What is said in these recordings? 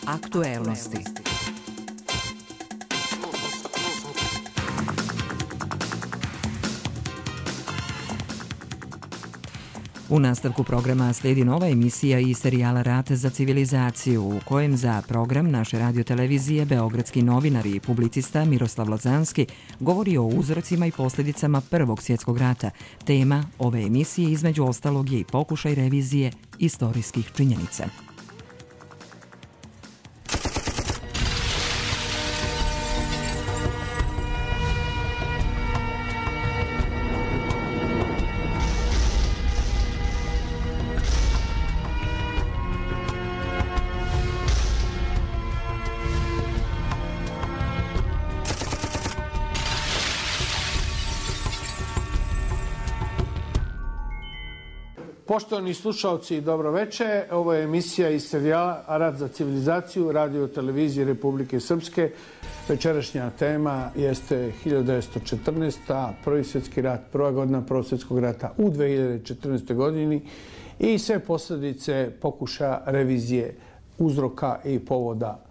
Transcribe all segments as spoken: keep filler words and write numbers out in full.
Aktuelnosti. U nastavku programa slijedi nova emisija iz serijala Rat za civilizaciju, u kojem za program naše radiotelevizije beogradski novinar i publicista Miroslav Lazanski govori o uzrocima i posljedicama Prvog svjetskog rata. Tema ove emisije između ostalog je i pokušaj revizije istorijskih činjenica. Poštovani slušalci, dobro večer. Ovo je emisija iz serijala Rat za civilizaciju, radio televizije Republike Srpske. Večerašnja tema jeste hiljadu devetsto četrnaesta. Prvi svjetski rat, prva godina Prvog svjetskog rata u dve hiljade četrnaestoj. godini i sve posljedice pokušaja revizije uzroka i povoda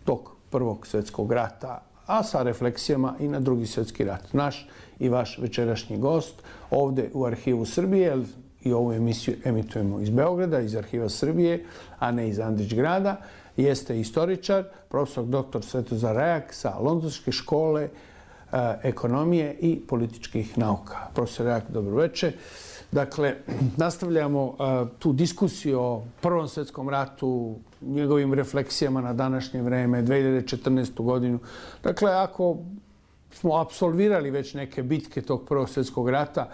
tog Prvog svjetskog rata, a sa refleksijama i na Drugi svjetski rat. Naš i vaš večerašnji gost ovdje u Arhivu Srbije, i ovu emisiju emitujemo iz Beograda, iz Arhiva Srbije, a ne iz Andrićgrada, jeste istoričar, profesor doktor Svetozar Rajak sa Londonske škole e, ekonomije i političkih nauka. Profesor Rajak, dobro večer. Dakle, nastavljamo e, tu diskusiju o Prvom svjetskom ratu, njegovim refleksijama na današnje vreme, dve hiljade četrnaestu. godinu. Dakle, ako smo apsolvirali već neke bitke tog Prvog svjetskog rata,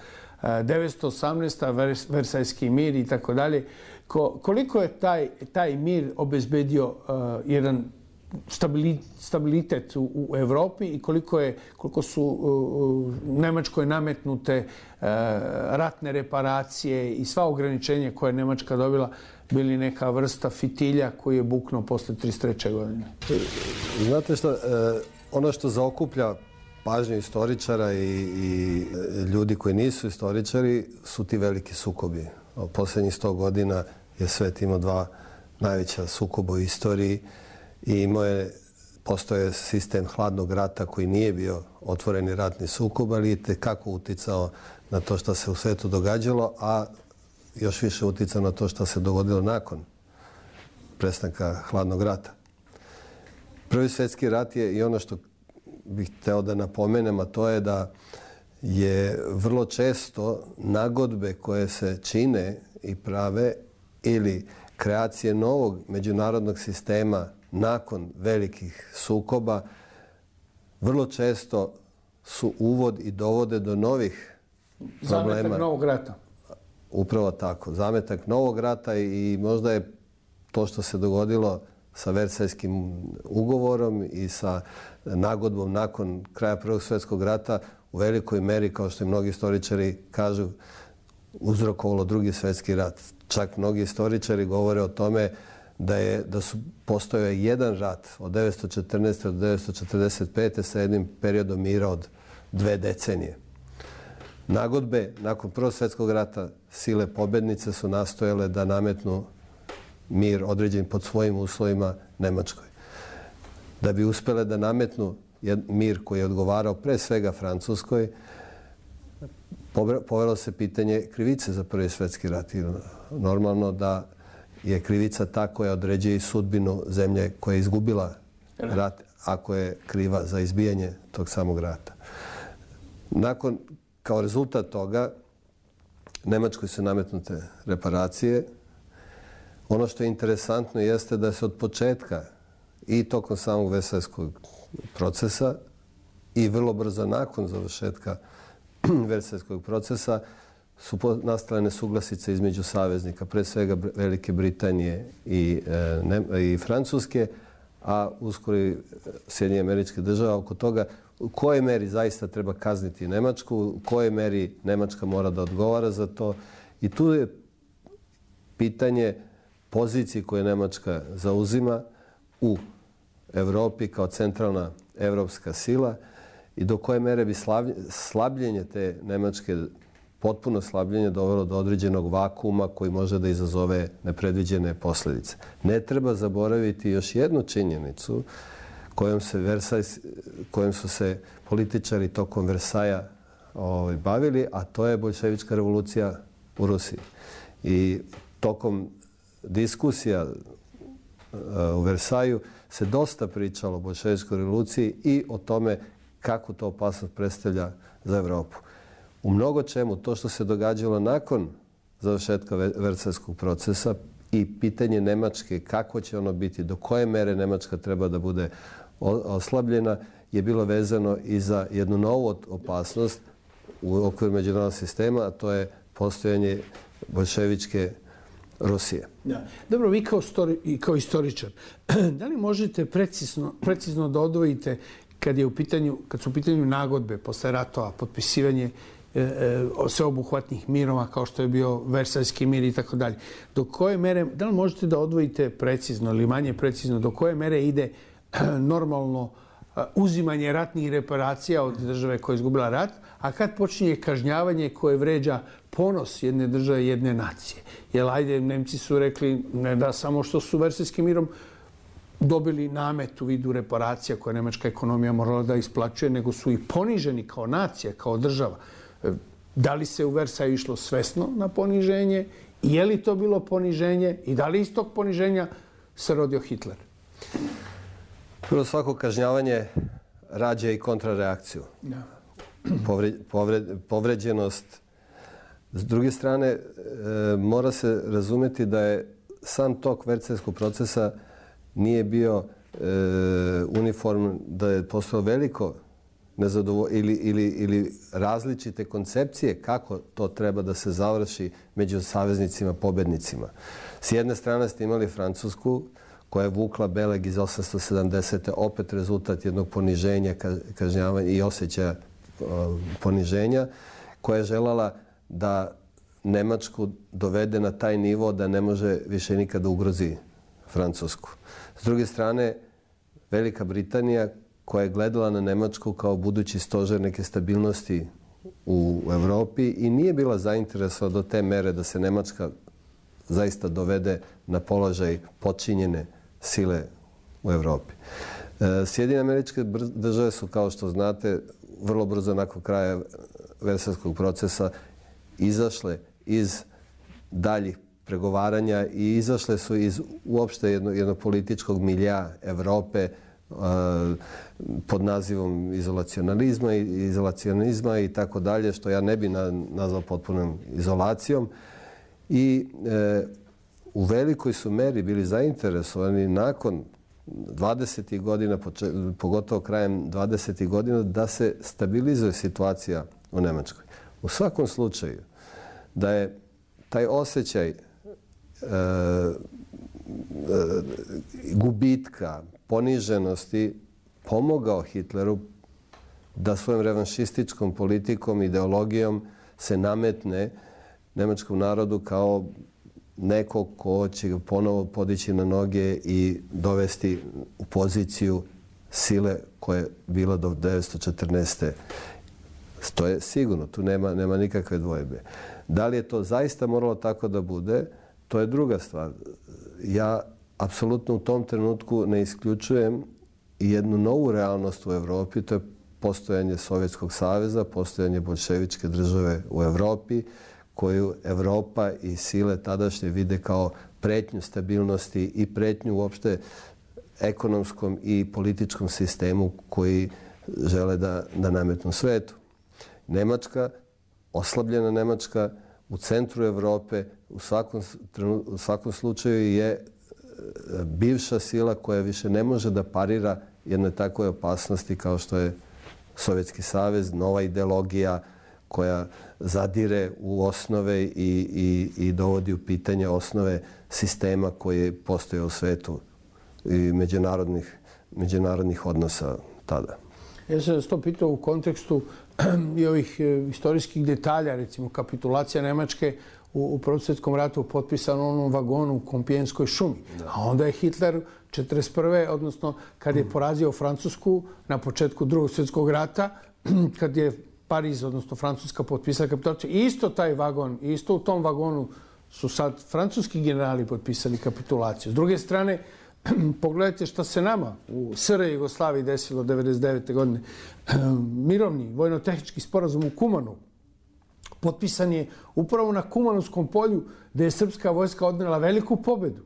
devetsto osamnaesta. Versajski mir i tako dalje. Koliko je taj, taj mir obezbedio uh, jedan stabilitet u, u Evropi i koliko, je, koliko su uh, Nemačkoj nametnute uh, ratne reparacije i sva ograničenja koje je Nemačka dobila bili neka vrsta fitilja koji je buknuo posle trideset treće. godine? Znate što, ono što zaokuplja pažnju istoričara i, i ljudi koji nisu istoričari su ti veliki sukobi. U posljednjih sto godina je svet imao dva najveća sukoba u istoriji i imao je, postoje sistem hladnog rata koji nije bio otvoreni ratni sukob, ali je tekako uticao na to što se u svetu događalo, a još više uticao na to što se dogodilo nakon prestanka hladnog rata. Prvi svjetski rat je i ono što bih hteo da napomenem, a to je da je vrlo često nagodbe koje se čine i prave ili kreacije novog međunarodnog sistema nakon velikih sukoba vrlo često su uvod i dovode do novih problema. Zametak novog rata. Upravo tako. Zametak novog rata i možda je to što se dogodilo sa Versajskim ugovorom i sa nagodbom nakon kraja Prvog svjetskog rata u velikoj meri, kao što i mnogi istoričari kažu, uzrokovalo Drugi svjetski rat. Čak mnogi istoričari govore o tome da je da su postojao jedan rat od devetsto četrnaeste. do devetsto četrdeset pete. sa jednim periodom mira od dve decenije. Nagodbe nakon Prvog svjetskog rata sile pobednice su nastojale da nametnu mir određen pod svojim uslovima Nemačkoj. Da bi uspjele da nametnu mir koji je odgovarao pre svega Francuskoj, povelo se pitanje krivice za Prvi svjetski rat. Normalno da je krivica ta koja određuje sudbinu zemlje koja je izgubila rat, ako je kriva za izbijanje tog samog rata. Nakon, kao rezultat toga, Nemačkoj su nametnute reparacije. Ono što je interesantno jeste da se od početka i tokom samog Versajskog procesa i vrlo brzo nakon završetka Versajskog procesa su nastale nesuglasice između saveznika, pre svega Velike Britanije i, e, ne, i Francuske, a uskoro i Sjedinjenih Američkih Država oko toga u kojoj meri zaista treba kazniti Nemačku, u kojoj meri Nemačka mora da odgovara za to. I tu je pitanje pozicije koje Nemačka zauzima u Evropi kao centralna evropska sila i do koje mere bi slabljenje te nemačke potpuno slabljenje dovelo do određenog vakuma koji može da izazove nepredviđene posljedice. Ne treba zaboraviti još jednu činjenicu kojom, se Versaj, kojom su se političari tokom Versaja ovaj, bavili, a to je boljševička revolucija u Rusiji. I tokom diskusija u Versaju se dosta pričalo o boljševičkoj revoluciji i o tome kako to opasnost predstavlja za Evropu. U mnogo čemu to što se događalo nakon završetka Versajskog procesa i pitanje Nemačke, kako će ono biti, do koje mere Nemačka treba da bude oslabljena, je bilo vezano i za jednu novu opasnost u okviru međunarodnog sistema, a to je postojanje boljševičke Rusije. Da. Dobro, vi kao, stori, kao istoričar, da li možete precizno, precizno da odvojite kad, je u pitanju, kad su u pitanju nagodbe posle ratova, potpisivanje e, e, sveobuhvatnih mirova kao što je bio Versajski mir i tako dalje. Do koje mere, da li možete da odvojite precizno ili manje precizno, do koje mere ide normalno uzimanje ratnih reparacija od države koja je izgubila rat, a kad počinje kažnjavanje koje vređa ponos jedne države, jedne nacije. Jer ajde, Nemci su rekli ne da samo što su Versajskim mirom dobili namet u vidu reparacija koje nemačka ekonomija morala da isplaćuje, nego su i poniženi kao nacija, kao država. Da li se u Versaju išlo svesno na poniženje? Je li to bilo poniženje? I da li iz tog poniženja se rodio Hitler? Prvo, svako kažnjavanje rađa i kontrareakciju. Da. Povre, povre, povređenost. S druge strane, e, mora se razumeti da je sam tok Versajskog procesa nije bio e, uniform, da je postalo veliko nezadovoljstvo ili, ili, ili različite koncepcije kako to treba da se završi među saveznicima, pobednicima. S jedne strane ste imali Francusku, koja je vukla beleg iz osamsto sedamdesete. opet rezultat jednog poniženja, kažnjavanja i osjećaja poniženja, koja je želala da Nemačku dovede na taj nivo da ne može više nikada ugrozi Francusku. S druge strane, Velika Britanija, koja je gledala na Nemačku kao budući stožer neke stabilnosti u Evropi i nije bila zainteresovana do te mere da se Nemačka zaista dovede na položaj počinjene sile u Evropi. Sjedinjene Američke Države su, kao što znate, vrlo brzo nakon kraja Versajskog procesa izašle iz daljih pregovaranja i izašle su iz uopšte jednog, jednog političkog milja Evrope pod nazivom izolacionalizma i izolacionizma i tako dalje, što ja ne bi nazvao potpunom izolacijom. I e, u velikoj su meri bili zainteresovani nakon dvadesetih godina, pogotovo krajem dvadesetih godina, da se stabilizuje situacija u Nemačkoj. U svakom slučaju, da je taj osjećaj e, e, gubitka, poniženosti pomogao Hitleru da svojom revanšističkom politikom, ideologijom se nametne nemačkom narodu kao neko ko će ga ponovo podići na noge i dovesti u poziciju sile koja je bila do devetsto četrnaeste. To je sigurno, tu nema, nema nikakve dvojbe. Da li je to zaista moralo tako da bude, to je druga stvar. Ja apsolutno u tom trenutku ne isključujem jednu novu realnost u Evropi, to je postojanje Sovjetskog saveza, postojanje boljševičke države u Evropi, koju Evropa i sile tadašnje vide kao pretnju stabilnosti i pretnju uopšte ekonomskom i političkom sistemu koji žele da, da nametnu svetu. Nemačka, oslabljena Nemačka u centru Evrope u svakom, u svakom slučaju je bivša sila koja više ne može da parira jednoj takvoj opasnosti kao što je Sovjetski savez, nova ideologija koja zadire u osnove i, i, i dovodi u pitanje osnove sistema koje postoje u svetu i međunarodnih, međunarodnih odnosa tada. Ja sam vas to pitao u kontekstu i ovih istorijskih detalja, recimo kapitulacija Nemačke u, u Prvom svjetskom ratu potpisano u onom vagonu u Kompijenskoj šumi. Da. A onda je Hitler četrdeset prve odnosno kad je porazio Francusku na početku Drugog svjetskog rata, kad je Pariz, odnosno Francuska, potpisala kapitulaciju. I isto taj vagon, isto u tom vagonu su sad francuski generali potpisali kapitulaciju. S druge strane, pogledajte šta se nama u S R Jugoslaviji desilo devedeset devete godine. Mirovni vojno-tehnički sporazum u Kumanu potpisan je upravo na Kumanovskom polju gde je srpska vojska odnela veliku pobedu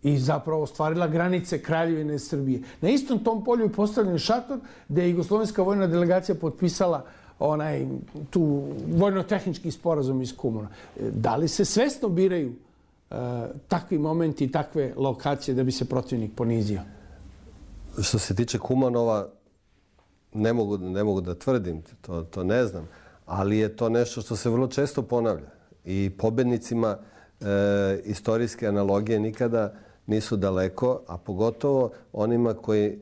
i zapravo ostvarila granice Kraljevine Srbije. Na istom tom polju je postavljen šator gde je jugoslovenska vojna delegacija potpisala onaj tu vojno-tehnički sporazum iz Kumana. Da li se svesno biraju uh, takvi momenti i takve lokacije da bi se protivnik ponizio? Što se tiče Kumanova, ne mogu, ne mogu da tvrdim, to, to ne znam, ali je to nešto što se vrlo često ponavlja. I pobednicima e, istorijske analogije nikada nisu daleko, a pogotovo onima koji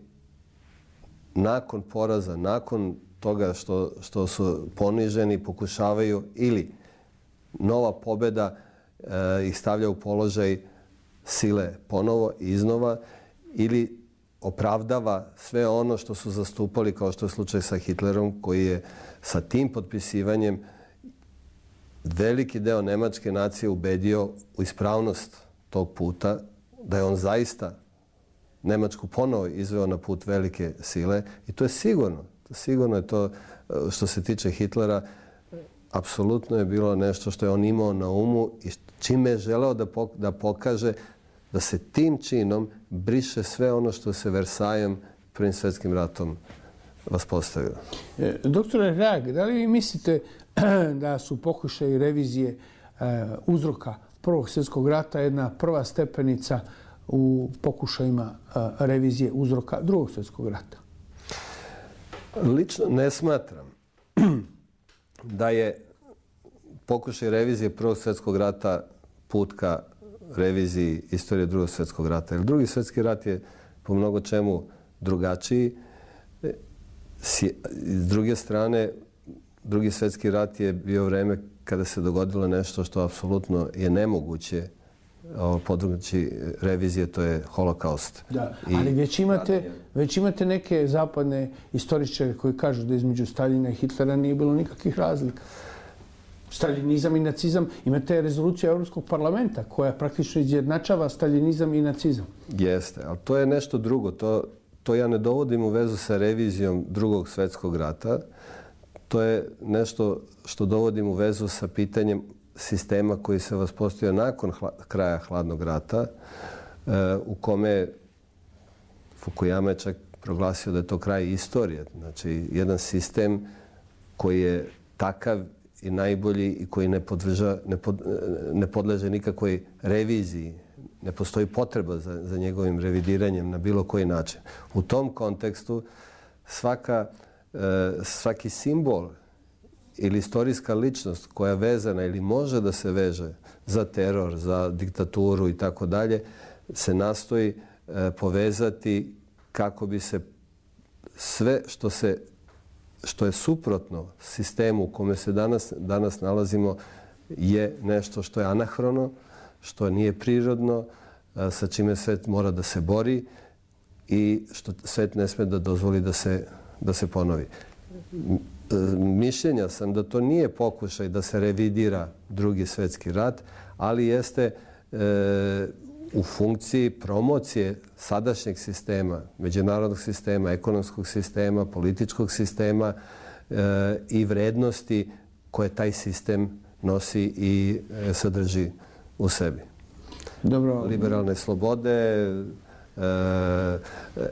nakon poraza, nakon toga što, što su poniženi, pokušavaju ili nova pobeda e, ih stavlja u položaj sile ponovo i iznova ili opravdava sve ono što su zastupali, kao što je slučaj sa Hitlerom, koji je sa tim potpisivanjem veliki deo nemačke nacije ubedio u ispravnost tog puta, da je on zaista Nemačku ponovo izveo na put velike sile. I to je sigurno. Sigurno je to, što se tiče Hitlera, apsolutno je bilo nešto što je on imao na umu i čime je želeo da pokaže da se tim činom briše sve ono što se Versajem Prvim svjetskim ratom vaspostavilo. E, doktore Reag, da li vi mislite da su pokušaji revizije e, uzroka Prvog svjetskog rata jedna prva stepenica u pokušajima e, revizije uzroka Drugog svjetskog rata? Lično ne smatram da je pokušaj revizije Prvog svjetskog rata put ka reviziji istorije Drugog svjetskog rata. Jer Drugi svjetski rat je po mnogo čemu drugačiji. S druge strane, Drugi svjetski rat je bio vreme kada se dogodilo nešto što apsolutno je nemoguće područje revizije, to je holokaust. Da, ali već imate, već imate neke zapadne istoričare koji kažu da između Staljina i Hitlera nije bilo nikakvih razlika. Staljinizam i nacizam, imate rezoluciju Europskog parlamenta koja praktično izjednačava staljinizam i nacizam. Jeste, ali to je nešto drugo. To, to ja ne dovodim u vezu sa revizijom Drugog svjetskog rata. To je nešto što dovodim u vezu sa pitanjem sistema koji se vaspostavio nakon hla, kraja hladnog rata, e, u kome Fukuyama je čak proglasio da je to kraj istorije. Znači, jedan sistem koji je takav i najbolji i koji ne, podrža, ne, pod, ne podleže nikakvoj reviziji. Ne postoji potreba za, za njegovim revidiranjem na bilo koji način. U tom kontekstu svaka, e, svaki simbol ili istorijska ličnost koja je vezana ili može da se veže za teror, za diktaturu i tako dalje, se nastoji e, povezati kako bi se sve što se što je suprotno sistemu u kome se danas, danas nalazimo je nešto što je anahrono, što nije prirodno, sa čime svet mora da se bori i što svet ne sme da dozvoli da se, da se ponovi. Mišljenja sam da to nije pokušaj da se revidira Drugi svjetski rat, ali jeste e, u funkciji promocije sadašnjeg sistema, međunarodnog sistema, ekonomskog sistema, političkog sistema e, i vrednosti koje taj sistem nosi i e, sadrži u sebi. Dobro. Liberalne slobode, e,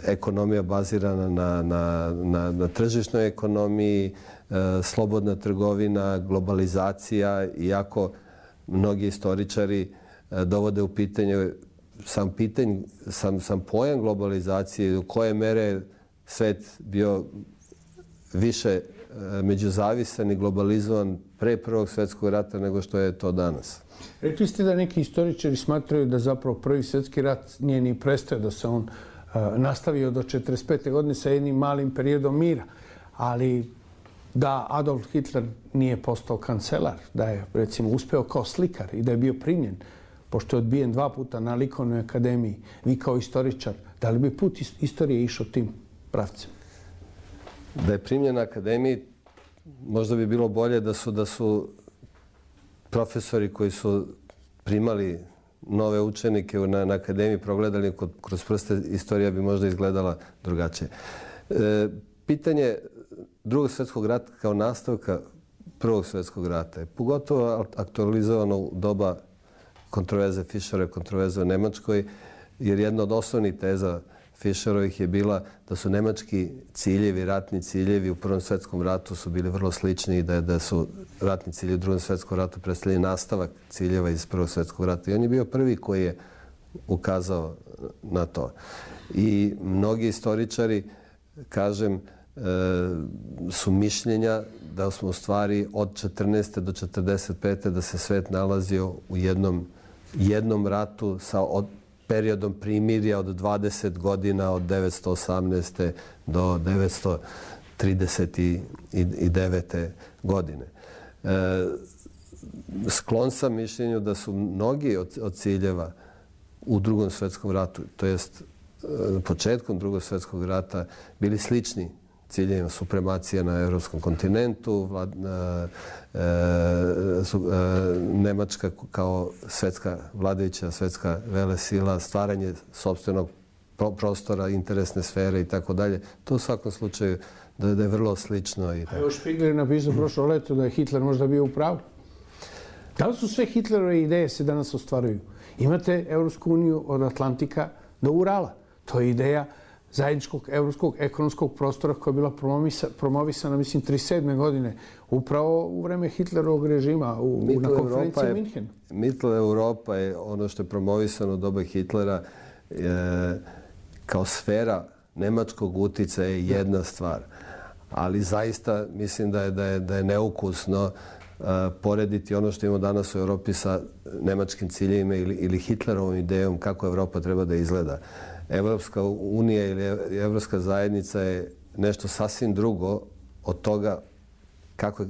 ekonomija bazirana na, na, na, na tržišnoj ekonomiji, e, slobodna trgovina, globalizacija, iako mnogi istoričari e, dovode u pitanje sam pitanje, sam, sam pojam globalizacije, u koje mere svet bio više e, međuzavisan i globalizovan pre Prvog svjetskog rata nego što je to danas. Rekli ste da neki istoričari smatraju da zapravo Prvi svjetski rat nije ni prestao, da se on uh, nastavio do četrdeset pete godine sa jednim malim periodom mira. Ali da Adolf Hitler nije postao kancelar, da je recimo uspeo kao slikar i da je bio primljen, pošto je odbijen dva puta na likovnoj akademiji, vi kao istoričar, da li bi put istorije išao tim pravcem? Da je primljen na akademiji, možda bi bilo bolje da su, da su profesori koji su primali nove učenike na, na akademiji progledali kroz prste, istorija bi možda izgledala drugačije. E, pitanje Drugog svjetskog rata kao nastavka Prvog svjetskog rata je pogotovo aktualizovano u doba kontroverze Fischerove, kontroverze u Nemačkoj, jer jedna od osnovnih teza Fischerovih je bila da su nemački ciljevi, ratni ciljevi u Prvom svjetskom ratu su bili vrlo slični i da, da su ratni ciljevi u Drugom svjetskom ratu predstavljali nastavak ciljeva iz Prvog svjetskog rata. I on je bio prvi koji je ukazao na to. I mnogi istoričari, kažem, su mišljenja da smo u stvari od četrnaeste do četrdeset pete da se svet nalazio u jednom, jednom ratu sa od, periodom primirja od dvadeset godina, od devetsto osamnaeste do devetsto trideset devete godine. E, sklon sam mišljenju da su mnogi od, od ciljeva u Drugom svjetskom ratu, to jest početkom Drugog svjetskog rata, bili slični ciljevima supremacija na evropskom kontinentu, vlad, e, e, su, e, Nemačka kao svetska vladajuća, svetska velesila, stvaranje sopstvenog pro, prostora, interesne sfere i tako dalje. To u svakom slučaju da, da je vrlo slično. I tako. A još Špigler je napisao prošlo leto da je Hitler možda bio u pravu. Da li su sve Hitlerove ideje se danas ostvaruju? Imate Evropsku uniju od Atlantika do Urala. To je ideja zajedničkog evropskog ekonomskog prostora koja je bila promovisana, mislim, trideset sedme godine, upravo u vreme Hitlerovog režima u, na konferenciji Minhen. Mittel Europa je ono što je promovisano u doba Hitlera je, kao sfera nemačkog uticaja je jedna stvar. Ali zaista mislim da je, da je, da je neukusno uh, porediti ono što imamo danas u Europi sa nemačkim ciljevima ili, ili Hitlerovom idejom kako Europa treba da izgleda. Evropska unija ili Evropska zajednica je nešto sasvim drugo od toga kako je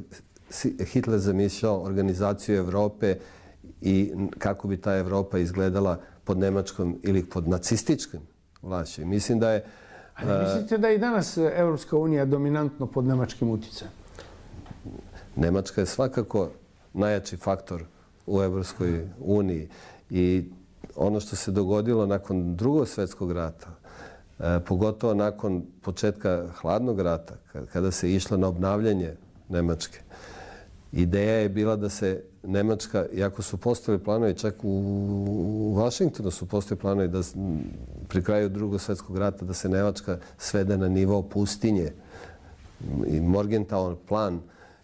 Hitler zamišljao organizaciju Evrope i kako bi ta Evropa izgledala pod nemačkom ili pod nacističkim vlašću. Mislim da je... Ali mislite da je i danas Evropska unija dominantno pod nemačkim uticajem? Nemačka je svakako najjači faktor u Evropskoj uniji i ono što se dogodilo nakon Drugog svjetskog rata, e, pogotovo nakon početka Hladnog rata, kada se išlo na obnavljanje Nemačke, ideja je bila da se Nemačka, iako su postojali planovi, čak u, u Vašingtonu su postojali planovi da pri kraju Drugog svjetskog rata da se Nemačka svede na nivo pustinje. I Morgenthau plan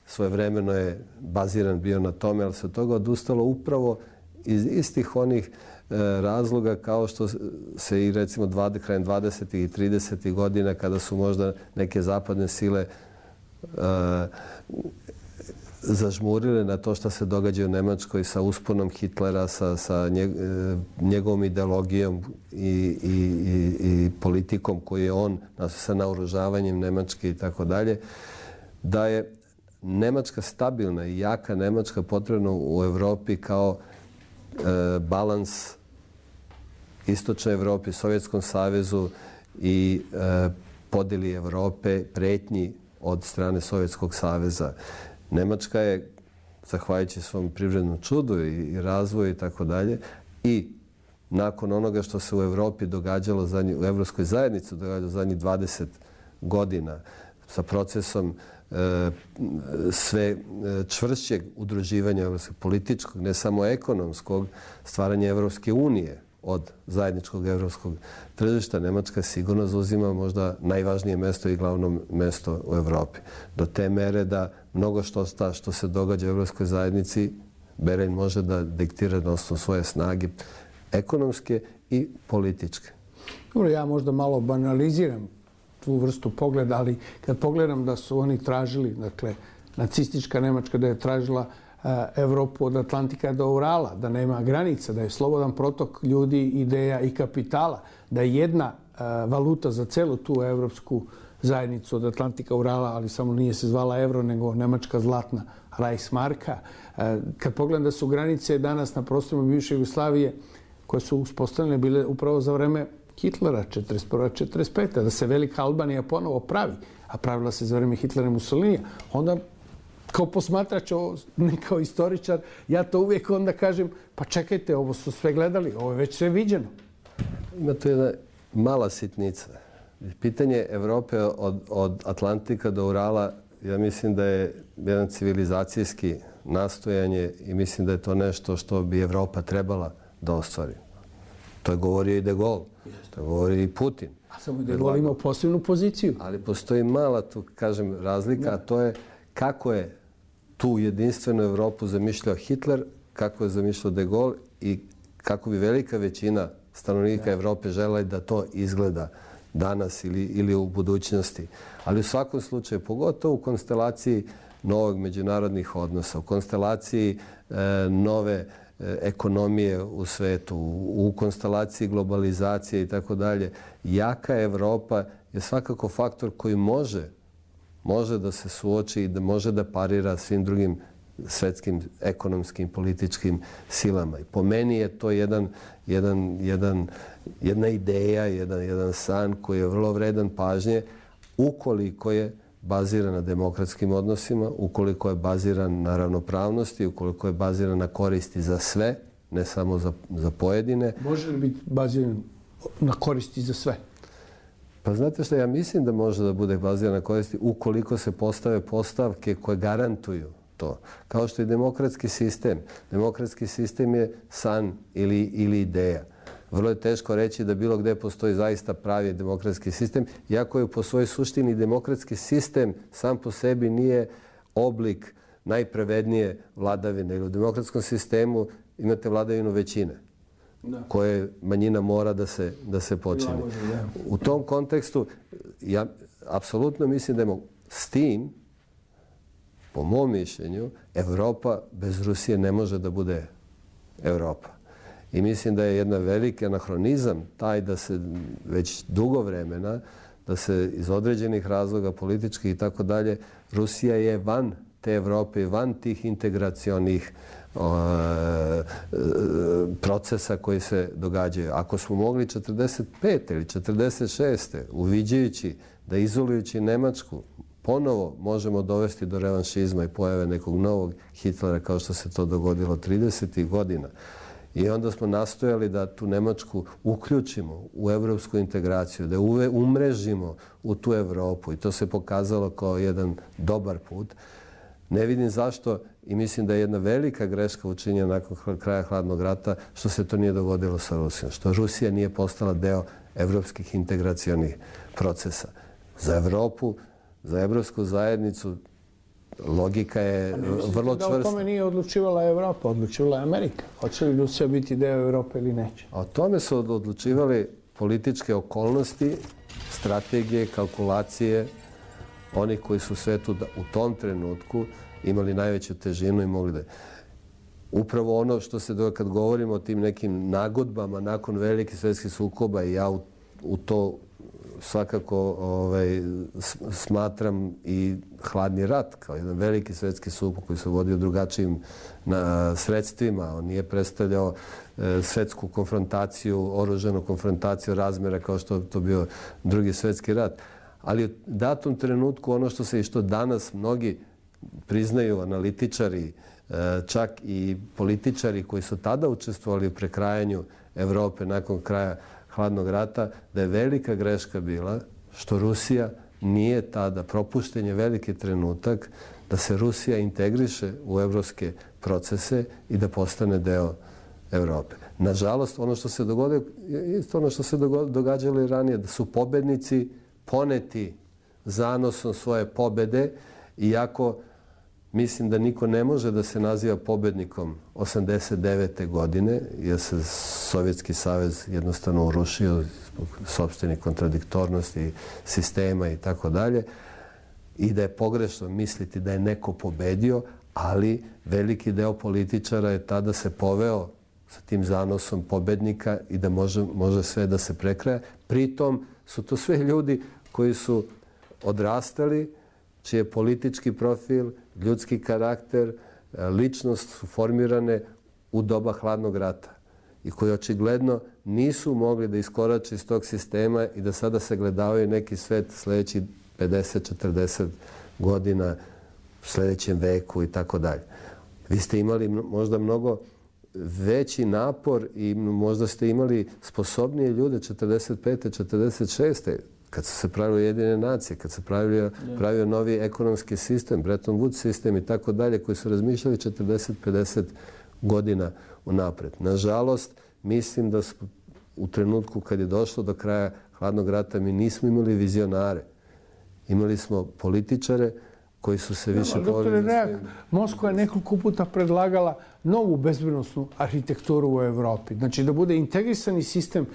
svojevremeno je baziran bio na tome, ali se od toga odustalo upravo iz istih onih razloga kao što se i recimo krajem dvadesetih i tridesetih godina kada su možda neke zapadne sile uh, zažmurile na to što se događa u Nemačkoj sa usponom Hitlera, sa, sa njeg, njegovom ideologijom i, i, i, i politikom koju je on sa naoružavanjem Nemačke i tako dalje, da je Nemačka stabilna i jaka Nemačka potrebna u Evropi kao e, balans Istočnoj Evropi, Sovjetskom savezu i e, podjeli Evrope, pretnji od strane Sovjetskog saveza. Nemačka je, zahvaljujući svom privrednom čudu i, i razvoju i tako dalje, i nakon onoga što se u Evropi događalo, zadnji, u Evropskoj zajednici događalo zadnjih dvadeset godina sa procesom e, sve čvršćeg udruživanja političkog, ne samo ekonomskog, stvaranja Evropske unije od zajedničkog evropskog tržišta, Nemačka sigurno zauzima možda najvažnije mesto i glavno mesto u Evropi. Do te mere da mnogo što, sta, što se događa u Evropskoj zajednici Berlin može da diktira na osnovu svoje snage ekonomske i političke. Dobro, ja možda malo banaliziram tu vrstu pogleda, ali kad pogledam da su oni tražili, dakle, nacistička Nemačka da je tražila Evropu od Atlantika do Urala, da nema granica, da je slobodan protok ljudi, ideja i kapitala, da je jedna valuta za celu tu evropsku zajednicu od Atlantika Urala, ali samo nije se zvala evro, nego nemačka zlatna Reichsmarka. Kad pogledam da su granice danas na prostorima bivše Jugoslavije koje su uspostavljene bile upravo za vreme Hitlera, četrdeset prva četrdeset peta da se Velika Albanija ponovo pravi, a pravila se za vreme Hitlera i Mussolinija, onda kao posmatrač, ne kao istoričar, ja to uvijek onda kažem, pa čekajte, ovo su sve gledali, ovo je već sve viđeno. Ima to jedna mala sitnica. Pitanje Evrope od, od Atlantika do Urala, ja mislim da je jedan civilizacijski nastojanje i mislim da je to nešto što bi Evropa trebala da ostvari. To je govorio i De Gaulle, to je govorio i Putin. A samo De Gaulle imao posebnu poziciju. Ali postoji mala, tu kažem, razlika, a to je kako je tu jedinstvenu Evropu zamišljao Hitler, kako je zamišljao De Gaulle i kako bi velika većina stanovnika Evrope želela da to izgleda danas ili, ili u budućnosti. Ali u svakom slučaju, pogotovo u konstelaciji novog međunarodnih odnosa, u konstelaciji e, nove e, ekonomije u svetu, u, u konstelaciji globalizacije i tako dalje, jaka Evropa je svakako faktor koji može, može da se suoči i da može da parira svim drugim svetskim ekonomskim, političkim silama. I po meni je to jedan, jedan, jedan, jedna ideja, jedan, jedan san koji je vrlo vredan pažnje ukoliko je baziran na demokratskim odnosima, ukoliko je baziran na ravnopravnosti, ukoliko je baziran na koristi za sve, ne samo za, za pojedine. Može li biti baziran na koristi za sve? Pa znate što, ja mislim da može da bude baziran na koristi ukoliko se postave postavke koje garantuju to. Kao što je demokratski sistem. Demokratski sistem je san ili, ili ideja. Vrlo je teško reći da bilo gde postoji zaista pravi demokratski sistem, iako je po svojoj suštini demokratski sistem sam po sebi nije oblik najpravednije vladavine. U demokratskom sistemu imate vladavinu većine, da, koje manjina mora da se, da se počini. U tom kontekstu, ja apsolutno mislim da je s tim, po mom mišljenju, Evropa bez Rusije ne može da bude Evropa. I mislim da je jedna veliki anahronizam taj da se već dugo vremena, da se iz određenih razloga političkih i tako dalje, Rusija je van te Evrope i van tih integracionih o, procesa koji se događaju. Ako smo mogli četrdeset pete ili četrdeset šeste uviđajući da izolujući Nemačku ponovo možemo dovesti do revanšizma i pojave nekog novog Hitlera kao što se to dogodilo tridesetih godina. I onda smo nastojali da tu Nemačku uključimo u evropsku integraciju, da je umrežimo u tu Evropu i to se pokazalo kao jedan dobar put. Ne vidim zašto i mislim da je jedna velika greška učinjena nakon kraja hladnog rata što se to nije dogodilo sa Rusijom, što Rusija nije postala deo evropskih integracionih procesa. Za Evropu, za evropsku zajednicu logika je vrlo čvrsta. Da o tome nije odlučivala Evropa, odlučivala je Amerika. Hoće li Rusija biti deo Evrope ili neće? O tome su odlučivali političke okolnosti, strategije, kalkulacije, oni koji su svetu u tom trenutku imali najveću težinu i mogli da... Upravo ono što se, kad govorimo o tim nekim nagodbama nakon velikih svjetskih sukoba, i ja u, u to svakako ovaj, smatram i hladni rat kao jedan veliki svjetski sukob koji se vodio drugačijim na, sredstvima. On nije predstavljao e, svjetsku konfrontaciju, oružanu konfrontaciju razmjera kao što to bio drugi svjetski rat. Ali u datom trenutku ono što se i što danas mnogi priznaju, analitičari, e, čak i političari koji su tada učestvovali u prekrajanju Evrope nakon kraja hladnog rata, da je velika greška bila što Rusija nije tada, propušten je veliki trenutak da se Rusija integriše u evropske procese i da postane deo Evrope. Nažalost, ono što se dogodilo, isto ono što se događalo i ranije, da su pobednici poneti zanosom svoje pobede, iako mislim da niko ne može da se naziva pobednikom osamdeset devete godine, jer se Sovjetski savez jednostavno urušio zbog sopstvenih kontradiktornosti sistema i tako dalje, i da je pogrešno misliti da je neko pobedio, ali veliki deo političara je tada se poveo sa tim zanosom pobednika i da može, može sve da se prekraja. Pritom su to sve ljudi koji su odrastali, čiji je politički profil, ljudski karakter, ličnost su formirane u doba hladnog rata i koji očigledno nisu mogli da iskorače iz tog sistema i da sada se gledavaju neki svet sljedeći pedeset četrdeset godina sljedećem veku i tako dalje. Vi ste imali možda mnogo veći napor i možda ste imali sposobnije ljude četrdeset pete četrdeset šeste kad su se pravile Ujedinjene nacije, kad se pravio, pravio novi ekonomski sistem, Bretton Woods sistem i tako dalje, koji su razmišljali četrdeset pedeset godina unapred. Nažalost, mislim da su u trenutku kad je došlo do kraja hladnog rata mi nismo imali vizionare. Imali smo političare koji su se više... Doktore Reak, Moskva je nekoliko puta predlagala novu bezbednosnu arhitekturu u Evropi. Znači da bude integrisani sistem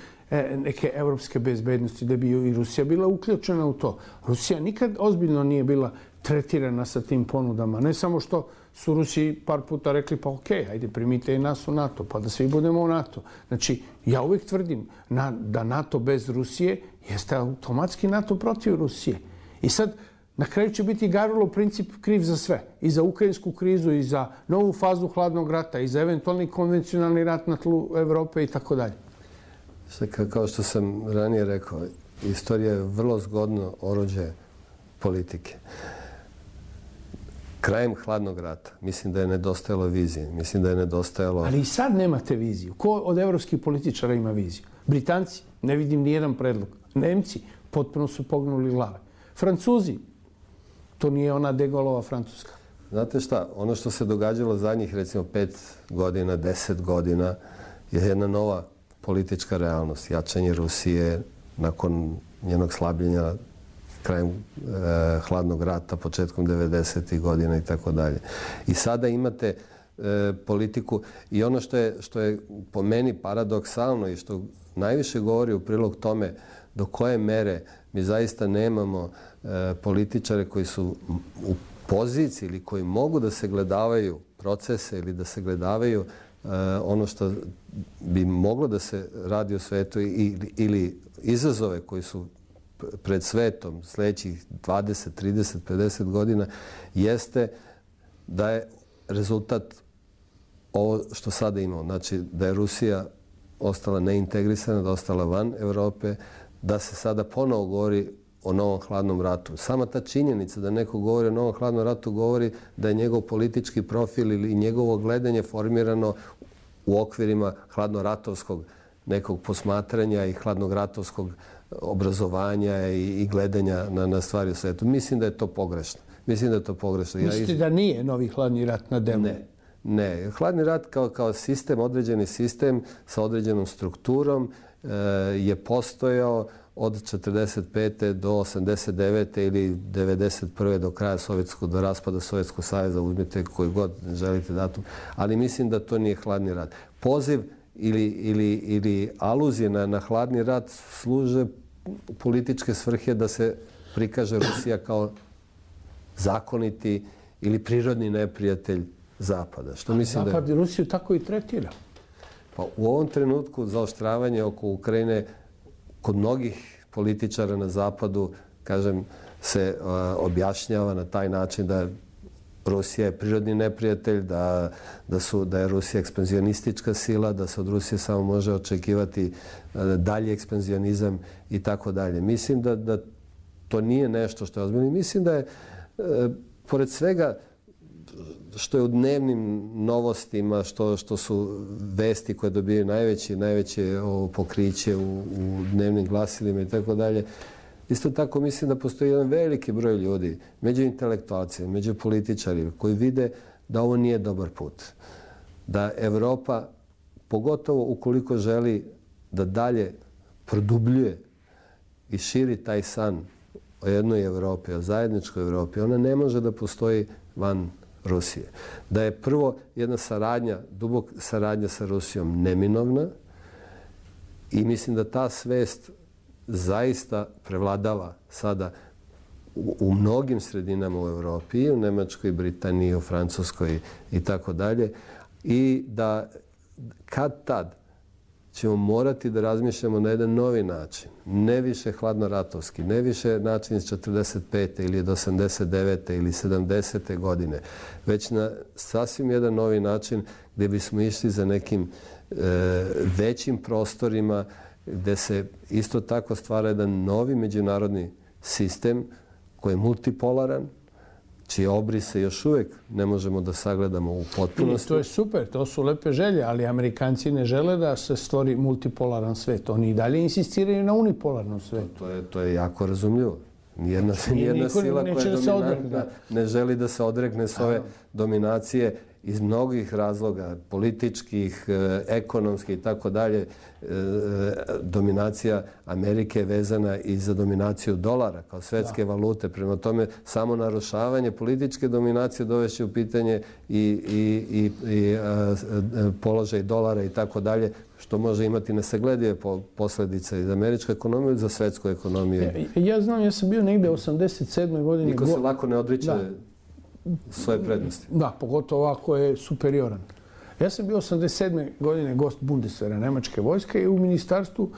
neke evropske bezbednosti, da bi i Rusija bila uključena u to. Rusija nikad ozbiljno nije bila tretirana sa tim ponudama. Ne samo što su Rusiji par puta rekli pa okej, ajde primite i nas u NATO, pa da svi budemo u NATO. Znači, ja uvijek tvrdim da NATO bez Rusije jeste automatski NATO protiv Rusije. I sad, na kraju će biti Garulov princip kriv za sve. I za ukrajinsku krizu, i za novu fazu hladnog rata, i za eventualni konvencionalni rat na tlu Evrope i tako dalje. Kao što sam ranije rekao, istorija je vrlo zgodno oruđe politike. Krajem hladnog rata mislim da je nedostajalo vizije. Mislim da je nedostajalo... Ali i sad nemate viziju. Ko od evropskih političara ima viziju? Britanci? Ne vidim ni jedan predlog. Nemci? Potpuno su pognuli glave. Francuzi? To nije ona de Gaulleova Francuska. Znate šta? Ono što se događalo zadnjih recimo pet godina, deset godina je jedna nova politička realnost. Jačanje Rusije nakon njenog slabljenja krajem e, hladnog rata, početkom devedesetih godina i tako dalje. I sada imate e, politiku i ono što je, što je po meni paradoksalno i što najviše govori u prilog tome do koje mere mi zaista nemamo e, političare koji su u poziciji ili koji mogu da se gledavaju procese ili da se gledavaju e, ono što bi moglo da se radi u svetu ili, ili izazove koji su pred svetom sljedećih dvadeset, trideset, pedeset godina jeste da je rezultat ovo što sada imamo. Znači da je Rusija ostala neintegrisana, da je ostala van Evrope, da se sada ponovo govori o novom hladnom ratu. Sama ta činjenica da neko govori o novom hladnom ratu govori da je njegov politički profil ili njegovo gledanje formirano u okvirima hladnoratovskog nekog posmatranja i hladnoratovskog obrazovanja i, i gledanja na, na stvari u svetu. Mislim da je to pogrešno. Mislim da je to pogrešno. Mislite ja iz... da nije novi hladni rat na delu? Ne. Ne. Hladni rat kao, kao sistem, određeni sistem sa određenom strukturom e, je postojao od četrdeset pete do osamdeset devete ili devedeset prve do kraja sovjetskog, do raspada Sovjetskog saveza, uzmite koji god želite datum. Ali mislim da to nije hladni rat. Poziv ili, ili, ili aluzije na, na hladni rat služe političke svrhe da se prikaže Rusija kao zakoniti ili prirodni neprijatelj Zapada. Što mislim Zapad da... i Rusiju tako i tretira. Pa u ovom trenutku zaoštravanje oko Ukrajine kod mnogih političara na Zapadu, kažem, se uh, objašnjava na taj način da Rusija je prirodni neprijatelj, da, da, su, da je Rusija ekspanzionistička sila, da se od Rusije samo može očekivati uh, dalji ekspanzionizam i tako dalje. Mislim da, da to nije nešto što je ozbiljno. Mislim da je, uh, pored svega, što je u dnevnim novostima, što, što su vesti koje dobijaju najveće, najveće ovo, pokriće u, u dnevnim glasilima i tako dalje. Isto tako mislim da postoji jedan veliki broj ljudi, među intelektualcima, među političarima, koji vide da ovo nije dobar put. Da Evropa, pogotovo ukoliko želi da dalje produbljuje i širi taj san o jednoj Evropi, o zajedničkoj Evropi, ona ne može da postoji van Rusije. Da je prvo jedna saradnja, dubok saradnja sa Rusijom neminovna i mislim da ta svest zaista prevladava sada u, u mnogim sredinama u Evropi, i u Nemačkoj, Britaniji, u Francuskoj i tako dalje. I da kad tad ćemo morati da razmišljamo na jedan novi način. Ne više hladnoratovski, ne više način iz četrdeset pete ili od osamdeset devete ili sedamdesete godine, već na sasvim jedan novi način gdje bismo išli za nekim e, većim prostorima, gdje se isto tako stvara jedan novi međunarodni sistem koji je multipolaran. čije obrise još uvijek ne možemo da sagledamo u potpunosti. I to je super, to su lepe želje, ali Amerikanci ne žele da se stvori multipolaran svet. Oni i dalje insistiraju na unipolarnom svetu. To je, to je jako razumljivo. Nijedna, nijedna sila koja je dominantna ne želi da se odrekne s ove dominacije iz mnogih razloga, političkih, ekonomskih i tako dalje. Dominacija Amerike je vezana i za dominaciju dolara kao svetske valute. Prema tome, samo narušavanje političke dominacije dovešće u pitanje i, i, i, i a, položaj dolara i tako dalje, što može imati nesagledive posljedice i za američku ekonomiju i za svetsku ekonomiju. Ja, ja znam, ja sam bio negdje u osamdeset sedmoj godine. Niko se lako ne odriče svoje prednosti. Da, pogotovo ako je superioran. Ja sam bio osamdeset sedme godine gost Bundeswehra, nemačke vojske, i u ministarstvu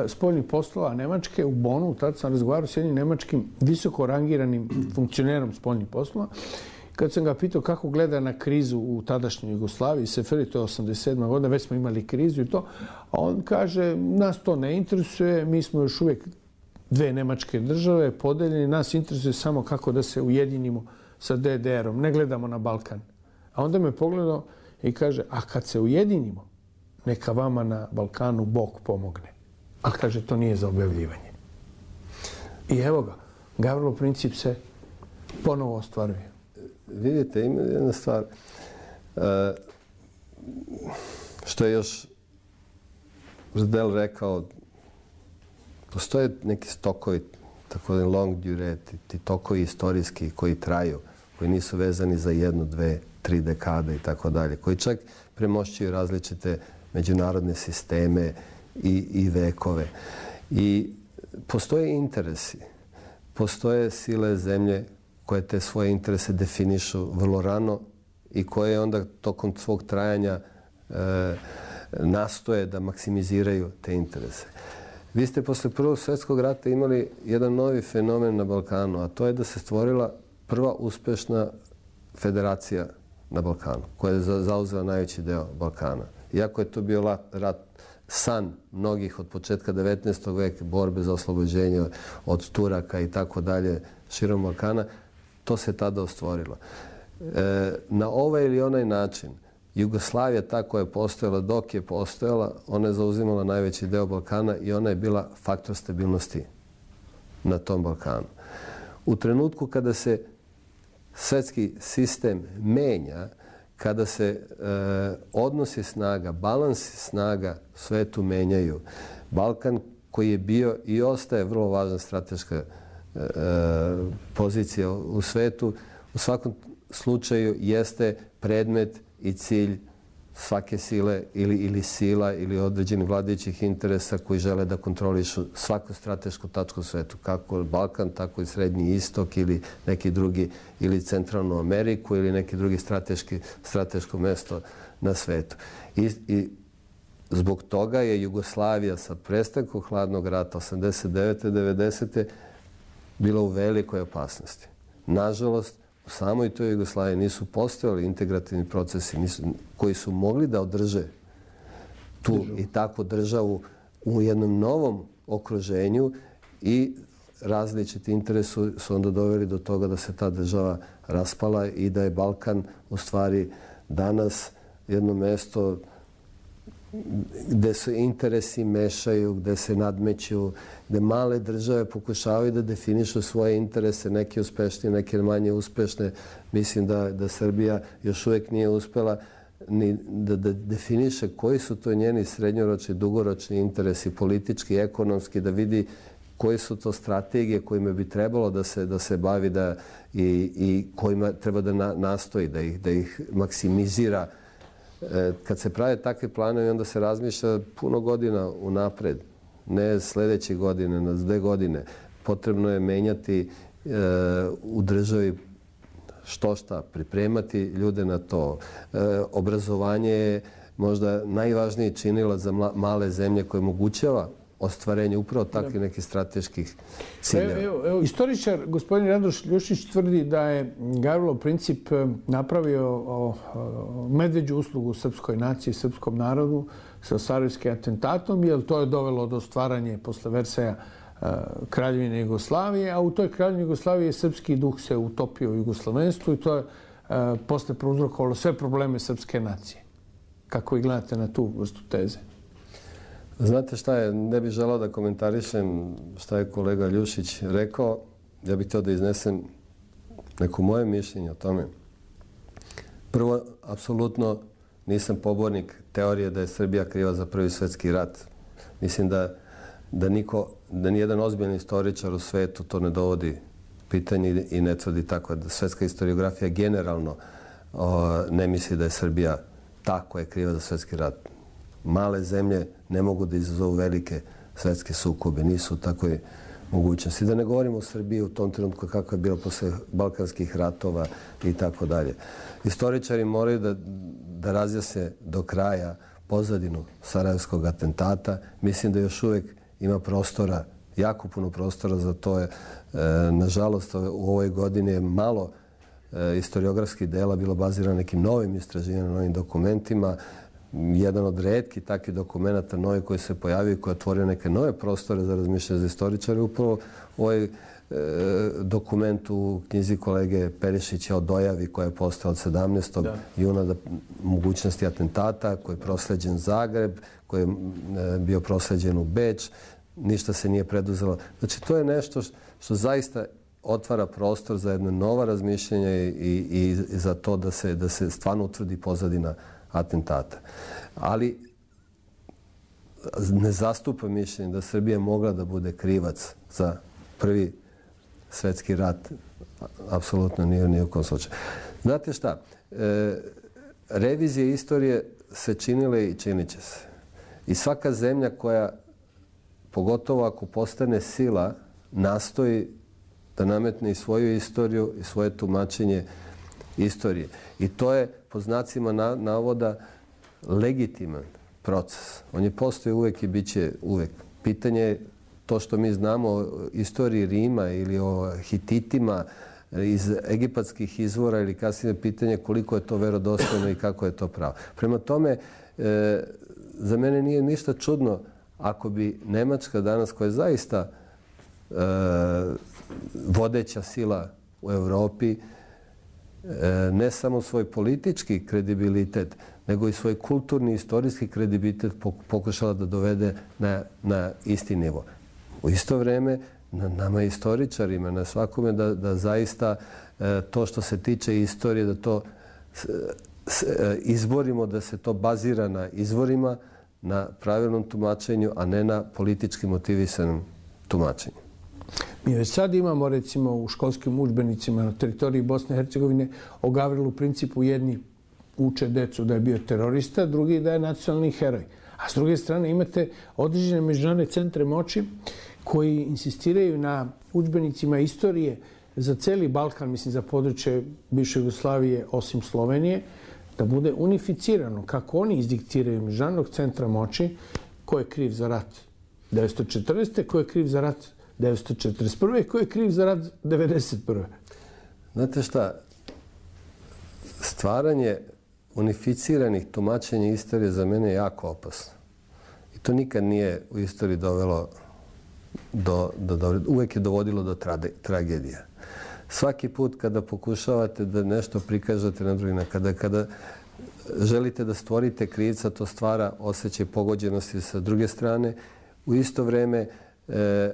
spoljnih poslova Nemačke u Bonu. Tad sam razgovarao s jednim nemačkim visoko rangiranim funkcionerom spoljnih poslova. Kad sam ga pitao kako gleda na krizu u tadašnjoj Jugoslaviji, Seferi, to je osamdeset sedma godina, već smo imali krizu i to, a on kaže, nas to ne interesuje, mi smo još uvijek dve nemačke države podeljeni, nas interesuje samo kako da se ujedinimo sa D D R-om, ne gledamo na Balkan. A onda me pogledao i kaže, a kad se ujedinimo, neka vama na Balkanu Bog pomogne. A kaže, to nije za objavljivanje. I evo ga, Gavrilov princip se ponovo ostvaruje. Vidite, ima jedna stvar. Što je još Ždel rekao, postoje neki stokovi, tako da long durée, ti tokovi istorijski koji traju, koji nisu vezani za jednu, dve, tri dekade i tako dalje, koji čak premošćuju različite međunarodne sisteme i, i vekove. I postoje interesi, postoje sile zemlje koje te svoje interese definišu vrlo rano i koje onda tokom svog trajanja e, nastoje da maksimiziraju te interese. Vi ste posle Prvog svjetskog rata imali jedan novi fenomen na Balkanu, a to je da se stvorila prva uspešna federacija na Balkanu, koja je zauzela najveći deo Balkana. Iako je to bio rat, san mnogih od početka devetnaestog veka, borbe za oslobođenje od Turaka i tako dalje širom Balkana, to se tada ostvorilo. E, na ovaj ili onaj način, Jugoslavija ta koja je postojala, dok je postojala, ona je zauzimala najveći deo Balkana i ona je bila faktor stabilnosti na tom Balkanu. U trenutku kada se svetski sistem menja, kada se e, odnosi snaga, balansi snaga u svetu menjaju, Balkan koji je bio i ostaje vrlo važna strateška e, pozicija u svetu, u svakom slučaju jeste predmet i cilj svake sile ili, ili sila ili određenih vladajućih interesa koji žele da kontrolišu svaku stratešku tačku u svetu, kako Balkan, tako i Srednji istok ili neki drugi, ili Centralnu Ameriku ili neki drugi strateški, strateško mesto na svetu. I, i zbog toga je Jugoslavija sa prestankom hladnog rata osamdeset devete devedesete bila u velikoj opasnosti. Nažalost, u samoj toj Jugoslaviji nisu postojali integrativni procesi nisu, koji su mogli da održe tu državu. I takvu državu u jednom novom okruženju i različiti interesi su, su onda doveli do toga da se ta država raspala i da je Balkan u stvari danas jedno mesto gde se interesi mešaju, gde se nadmeću, gde male države pokušavaju da definišu svoje interese, neke uspešnije, neke manje uspešne. Mislim da, da Srbija još uvijek nije uspela ni da, da definiše koji su to njeni srednjoročni, dugoročni interesi, politički, ekonomski, da vidi koje su to strategije kojima bi trebalo da se, da se bavi da, i, i kojima treba da na, nastoji, da ih, da ih maksimizira. Kad se prave takve planovi, onda se razmišlja puno godina unapred, ne sljedeće godine, na dve godine. Potrebno je menjati e, u državi što šta, pripremati ljude na to. E, obrazovanje je možda najvažniji činilac za male zemlje koje omogućava ostvarenje upravo takvih nekih strateških ciljeva. Evo, evo, istoričar gospodin Radoš Ljušić tvrdi da je Gavrilov princip napravio o, o, medveđu uslugu srpskoj naciji, srpskom narodu sa sarajevskim atentatom, jer to je dovelo do stvaranja posle Versaja Kraljevine Jugoslavije, a u toj Kraljevini Jugoslavije srpski duh se utopio u jugoslovenstvu i to je posle prouzrokovalo sve probleme srpske nacije. Kako vi gledate na tu vrstu teze? Znate šta je, ne bih želao da komentarišem šta je kolega Ljušić rekao. Ja bih htio da iznesem neko moje mišljenje o tome. Prvo, apsolutno nisam pobornik teorije da je Srbija kriva za Prvi svjetski rat. Mislim da, da, niko, da nijedan ozbiljan istoričar u svetu to ne dovodi pitanje i ne tvrdi tako. Da svetska historiografija generalno o, ne misli da je Srbija ta koja je kriva za svjetski rat. Male zemlje ne mogu da izazovu velike svetske sukobe, nisu u takvoj mogućnosti. Da ne govorimo o Srbiji u tom trenutku kako je bilo posle balkanskih ratova i tako dalje. Historičari moraju da, da razjasne do kraja pozadinu sarajevskog atentata. Mislim da još uvijek ima prostora, jako puno prostora za to. Je, e, nažalost, u ovoj godini je malo e, historiografskih dela bilo bazirano na nekim novim istraživanjima, novim dokumentima. Jedan od retkih takvih dokumenta novi koji se pojavio i koji je otvorio neke nove prostore za razmišljanje za istoričare. Upravo ovaj e, dokument u knjizi kolege Perišića o dojavi koja je postala od sedamnaestog juna da mogućnosti atentata, koji je prosleđen Zagreb, koji je e, bio prosleđen u Beč. Ništa se nije preduzelo. Znači, to je nešto što zaista otvara prostor za jedno nova razmišljenja i, i, i za to da se, da se stvarno utvrdi pozadina atentata. Ali ne zastupa mišljenje da Srbija mogla da bude krivac za Prvi svjetski rat. Apsolutno nije ni u kom slučaju. Znate šta? E, revizije istorije se činile i činit će se. I svaka zemlja koja, pogotovo ako postane sila, nastoji da nametne i svoju istoriju i svoje tumačenje istorije. I to je, po znacima navoda, legitiman proces. On je postoji uvek i bit će uvek. Pitanje je to što mi znamo o istoriji Rima ili o Hititima iz egipatskih izvora ili kasnije pitanje koliko je to verodostojno i kako je to pravo. Prema tome, e, za mene nije ništa čudno ako bi Nemačka danas, koja je zaista e, vodeća sila u Evropi, ne samo svoj politički kredibilitet, nego i svoj kulturni i istorijski kredibilitet pokušala da dovede na, na isti nivo. U isto vreme, na nama istoričarima, na svakome da, da zaista to što se tiče istorije, da to izborimo, da se to bazira na izvorima, na pravilnom tumačenju, a ne na politički motivisanom tumačenju. Mi već sad imamo, recimo, u školskim udžbenicima na teritoriji Bosne i Hercegovine o Gavrilu Principu jedni uče decu da je bio terorista, drugi da je nacionalni heroj. A s druge strane imate određene međunarodne centre moći koji insistiraju na udžbenicima istorije za celi Balkan, mislim za područje bivše Jugoslavije osim Slovenije, da bude unificirano kako oni izdiktiraju međunarodnog centra moći ko je kriv za rat devetsto četrnaeste. ko je kriv za rat devetsto četrdeset prve. ko je kriv za rat devedeset prve. Znate šta, stvaranje unificiranih tumačenja istorije za mene je jako opasno. I to nikad nije u istoriji dovelo do, do, do uvek je dovodilo do trade, tragedija. Svaki put kada pokušavate da nešto prikažete na drugi način, kada, kada želite da stvorite krivca, to stvara osjećaj pogođenosti sa druge strane. U isto vreme, e,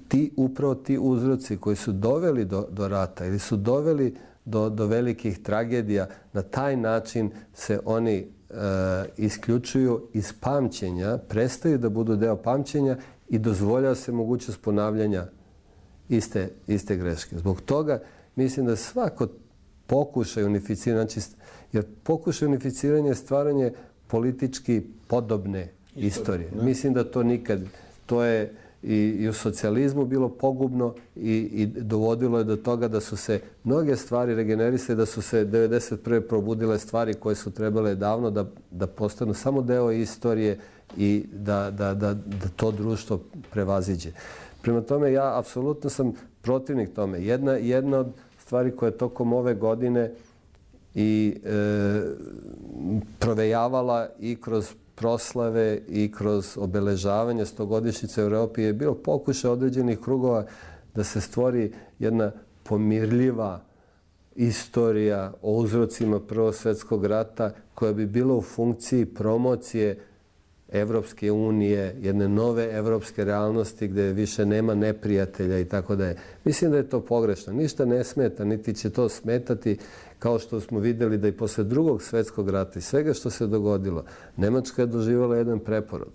ti, upravo ti uzroci koji su doveli do, do rata ili su doveli do, do velikih tragedija, na taj način se oni e, isključuju iz pamćenja, prestaju da budu deo pamćenja i dozvoljava se mogućnost ponavljanja iste, iste greške. Zbog toga mislim da svako pokušaj unificiranja, znači, jer pokušaj unificiranja je stvaranje politički podobne istorije. istorije. Mislim da to nikad, to je i, i u socijalizmu bilo pogubno i, i dovodilo je do toga da su se mnoge stvari regenerisale, da su se devedeset prve probudile stvari koje su trebale davno da, da postanu samo deo istorije i da, da, da, da to društvo prevaziđe. Prema tome, ja apsolutno sam protivnik tome. Jedna, jedna od stvari koja je tokom ove godine i e, provejavala i kroz proslave i kroz obeležavanje stogodišnjice u Europi je bilo pokušaj određenih krugova da se stvori jedna pomirljiva istorija o uzrocima Prvog svjetskog rata koja bi bila u funkciji promocije Evropske unije, jedne nove evropske realnosti gdje više nema neprijatelja i tako da je. Mislim da je to pogrešno. Ništa ne smeta, niti će to smetati, kao što smo vidjeli da i posle Drugog svjetskog rata i svega što se dogodilo, Nemačka je doživjela jedan preporod.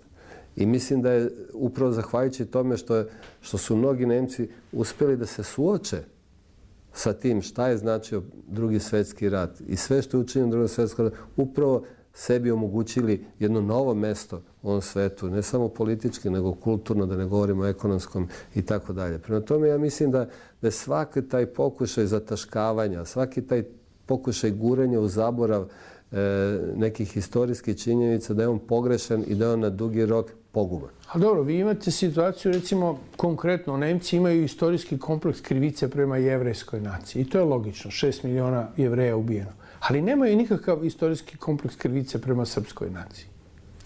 I mislim da je upravo zahvaljujući tome što, je, što su mnogi Nemci uspjeli da se suoče sa tim šta je značio Drugi svjetski rat i sve što je učinjeno Drugog svjetskog rata, upravo sebi omogućili jedno novo mesto u ovom svetu, ne samo politički, nego kulturno, da ne govorimo o ekonomskom i tako dalje. Prema tome, ja mislim da, da je svaki taj pokušaj zataškavanja, svaki taj pokušaj guranja u zaborav e, nekih historijskih činjenica, da je on pogrešan i da je on na dugi rok poguban. A dobro, vi imate situaciju, recimo, konkretno, Nemci imaju istorijski kompleks krivice prema jevrejskoj naciji. I to je logično, šest miliona Jevreja ubijeno. Ali nemaju nikakav istorijski kompleks krivice prema srpskoj naciji.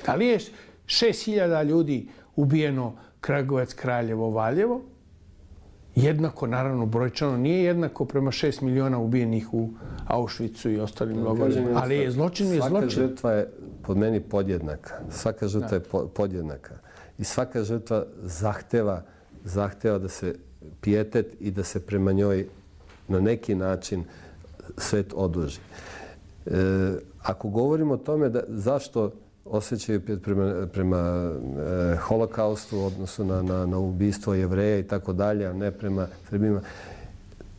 Da li je šest hiljada ljudi ubijeno Kragujevac, Kraljevo, Valjevo? Jednako, naravno, brojčano nije jednako prema šest miliona ubijenih u Auschwitzu i ostalim logorima. Ali je zločin je zločin. Svaka žrtva je pod meni podjednaka. Svaka žrtva je podjednaka. I svaka žrtva zahteva, zahteva da se pijetet i da se prema njoj na neki način svet oduži. E, ako govorimo o tome da, zašto osjećaju prema, prema e, holokaustu, odnosno na, na, na ubistvo Jevreja i tako dalje, a ne prema Srbima,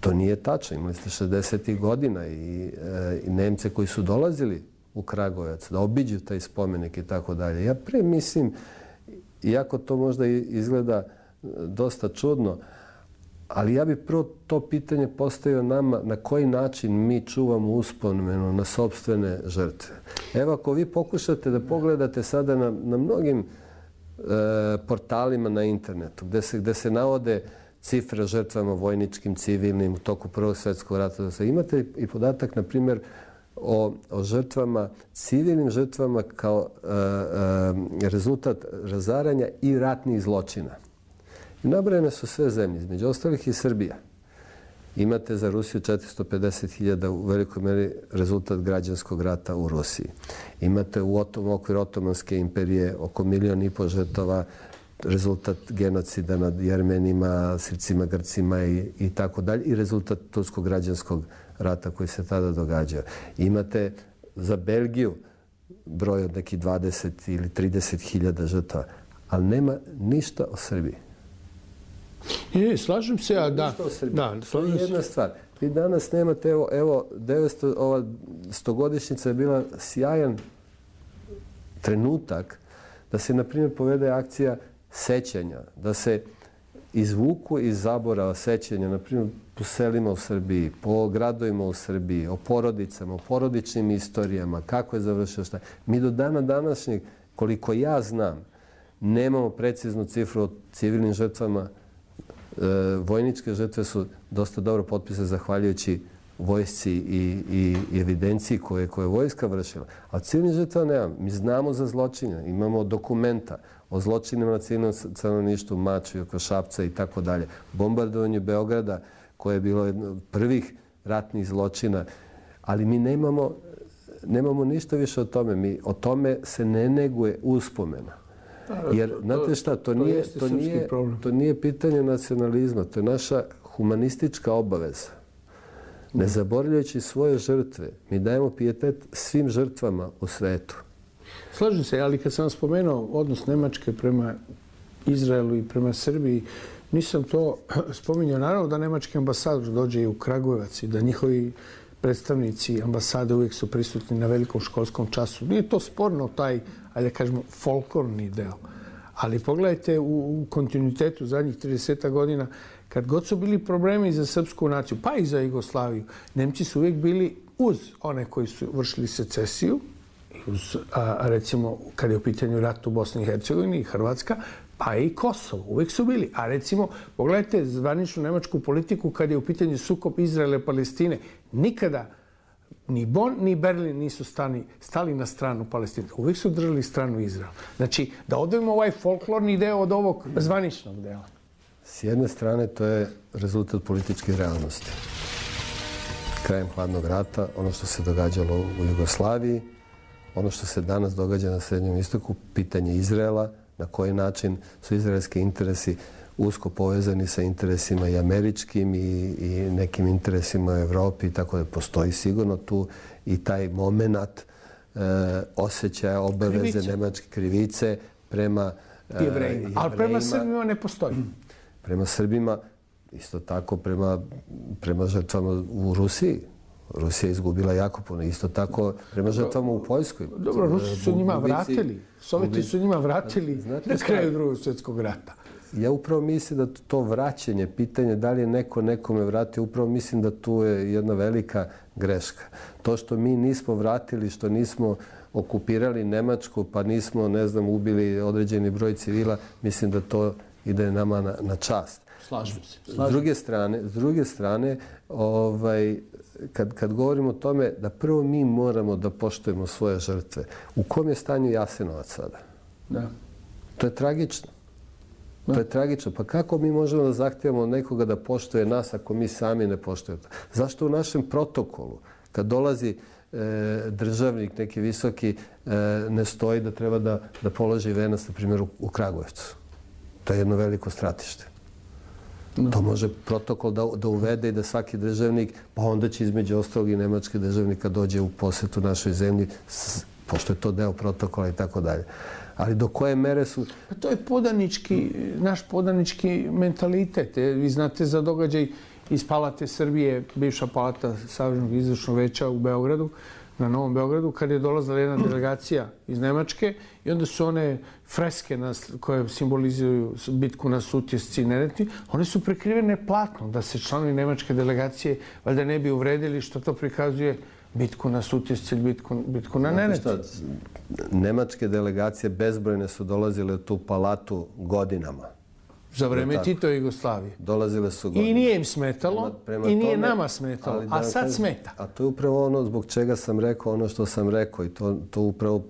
to nije tačno. Imali ste šezdesetih godina i, e, i Nemce koji su dolazili u Kragujevac da obiđu taj spomenik i tako dalje. Ja pre mislim, iako to možda izgleda dosta čudno, ali ja bih prvo to pitanje postavio nama na koji način mi čuvamo uspomenu na sopstvene žrtve. Evo, ako vi pokušate da pogledate sada na, na mnogim e, portalima na internetu gde se, gde se navode cifre žrtvama vojničkim, civilnim u toku Prvog svjetskog rata, imate i podatak, na primjer, o, o žrtvama, civilnim žrtvama kao e, e, rezultat razaranja i ratnih zločina. I nabrojene su sve zemlje, između ostalih i Srbija. Imate za Rusiju četiristo pedeset hiljada u velikoj meri rezultat građanskog rata u Rusiji. Imate u okviru Otomanske imperije oko milion i po žrtava, rezultat genocida nad Jermenima, Srpcima, Grcima i, i tako dalje. I rezultat turskog građanskog rata koji se tada događao. Imate za Belgiju broj od nekih dvadeset ili trideset hiljada žrtava, ali nema ništa o Srbiji. Ne, slažem se, a da. Da, to je jedna stvar. Vi danas nemate, evo, evo devetsto, ova stogodišnjica je bila sjajan trenutak da se, na primjer, povede akcija sećanja, da se izvuku iz zaborava sećanja, na primjer, po selima u Srbiji, po gradovima u Srbiji, o porodicama, o porodičnim istorijama, kako je završio šta. Mi do dana današnjeg, koliko ja znam, nemamo preciznu cifru o civilnim žrtvama. E, vojničke žrtve su dosta dobro potpisane zahvaljujući vojsci i, i, i evidenciji koje, koje je vojska vršila. A civilnih žrtva nemamo. Mi znamo za zločine, imamo dokumenta o zločinima na civilnom stanovništvu, Mačvi, oko Šapca i tako dalje. Bombardovanje Beograda, koje je bilo jedno od prvih ratnih zločina. Ali mi nemamo, nemamo ništa više o tome. Mi, o tome se ne neguje uspomena. Jer, znate šta, to nije, to, nije, to nije pitanje nacionalizma, to je naša humanistička obaveza. Ne zaboravljajući svoje žrtve, mi dajemo pijetet svim žrtvama u svetu. Slažem se, ali kad sam spomenuo odnos Nemačke prema Izraelu i prema Srbiji, nisam to spominjao. Naravno da nemački ambasador dođe i u Kragujevac i da njihovi predstavnici ambasade uvijek su prisutni na velikom školskom času. Nije to sporno, taj, ajde da kažemo, folklorni deo. Ali pogledajte u, u kontinuitetu zadnjih trideset godina, kad god su bili problemi za srpsku naciju, pa i za Jugoslaviju, Nemci su uvijek bili uz one koji su vršili secesiju, uz, a, recimo, kad je u pitanju rat u Bosni i Hercegovini i Hrvatska, pa i Kosovo. Uvijek su bili. A recimo, pogledajte zvaničnu nemačku politiku kad je u pitanju sukob Izraela i Palestine. Nikada ni Bonn, ni Berlin nisu stani, stali na stranu Palestine. Uvijek su držali stranu Izraela. Znači, da odvojimo ovaj folklorni deo od ovog zvaničnog dela. S jedne strane, to je rezultat političke realnosti. Krajem hladnog rata, ono što se događalo u Jugoslaviji, ono što se danas događa na Srednjem istoku, pitanje Izraela, na koji način su izraelski interesi usko povezani sa interesima i američkim i, i nekim interesima u Evropi, tako da postoji sigurno tu i taj moment e, osjećaja, obaveze, krivice. Nemačke krivice prema e, Jevrejima. Ali prema Srbima ne postoji. Prema Srbima, isto tako prema, prema žrtvama u Rusiji. Rusija je izgubila jako puno. Isto tako prema žrtvama u Poljskoj. Dobro, Rusi su njima vratili. Sovjeti su njima vratili na kraju Drugog svjetskog rata. Ja upravo mislim da to vraćanje, pitanje da li je neko nekome vratio, upravo mislim da tu je jedna velika greška. To što mi nismo vratili, što nismo okupirali Nemačku, pa nismo, ne znam, ubili određeni broj civila, mislim da to ide nama na, na čast. Slažem se. Slažem. S druge strane, s druge strane ovaj, kad, kad govorimo o tome da prvo mi moramo da poštujemo svoje žrtve. U kom je stanju Jasenovac sada? Da. To je tragično. To je tragično. Pa kako mi možemo da zahtijemo od nekoga da poštuje nas ako mi sami ne poštujemo? Zašto u našem protokolu, kad dolazi e, državnik, neki visoki, e, ne stoji da treba da, da položi venac, na primjer, u, u Kragujevcu? To je jedno veliko stratište. No. To može protokol da, da uvede i da svaki državnik, pa onda će između ostalog i nemački državnika dođe u posjetu našoj zemlji, s, pošto je to deo protokola i tako dalje. Ali do koje mere su... To je podanički, naš podanički mentalitet. Vi znate za događaj iz Palate Srbije, bivša palata Saveznog izvršnog veća u Beogradu, na Novom Beogradu, kad je dolazila jedna delegacija iz Nemačke i onda su one freske nas, koje simbolizuju bitku na Sutjesci i Neretvi, one su prekrivene platnom da se članovi nemačke delegacije valjda ne bi uvredili što to prikazuje bitku na Sutjesci ili bitku, bitku na Neretvi. Nemačke delegacije bezbrojne su dolazile u tu palatu godinama. Za vreme Titove Jugoslavije. Dolazile su godine. I nije im smetalo, prema, prema i nije tome, nama smetalo, a sad kažem, smeta. A to je upravo ono zbog čega sam rekao ono što sam rekao i to, to upravo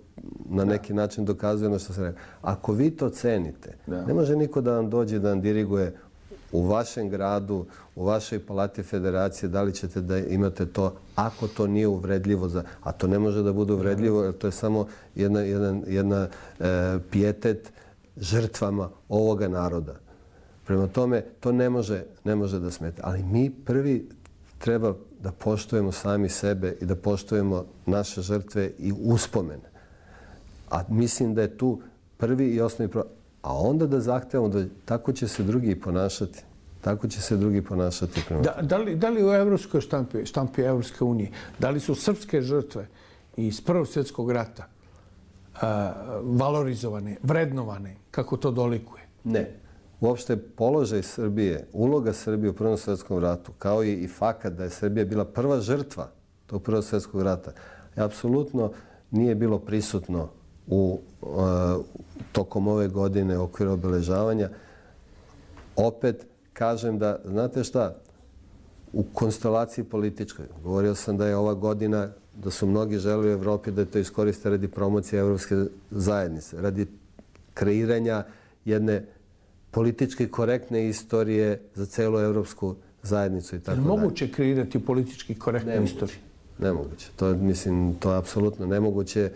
na neki način dokazuje ono što sam rekao. Ako vi to cenite, da. Ne može niko da vam dođe da vam diriguje u vašem gradu, u vašoj palati federacije, da li ćete da imate to, ako to nije uvredljivo, za, a to ne može da bude uvredljivo, jer to je samo jedna, jedan, jedna e, pijetet žrtvama ovoga naroda. Prema tome, to ne može, ne može da smeta. Ali mi prvi treba da poštujemo sami sebe i da poštujemo naše žrtve i uspomene. A mislim da je tu prvi i osnovni problem. A onda da zahtevamo da tako će se drugi ponašati. Tako će se drugi ponašati. Prema da, da, li, da li u evropskoj štampi, štampi Evropske unije, da li su srpske žrtve iz Prvog svjetskog rata a, valorizovane, vrednovane, kako to dolikuje? Ne. Uopšte položaj Srbije, uloga Srbije u Prvom svjetskom ratu, kao i, i fakat da je Srbija bila prva žrtva tog Prvog svjetskog rata, apsolutno nije bilo prisutno u uh, tokom ove godine u okviru obeležavanja. Opet kažem da, znate šta, u konstelaciji političkoj, govorio sam da je ova godina, da su mnogi želi u Evropi da to iskoriste radi promocije Evropske zajednice, radi kreiranja jedne politički korektne istorije za celu evropsku zajednicu i tako dalje. Moguće kreirati politički korektnu istoriju? Nemoguće. To, mislim, to je apsolutno nemoguće.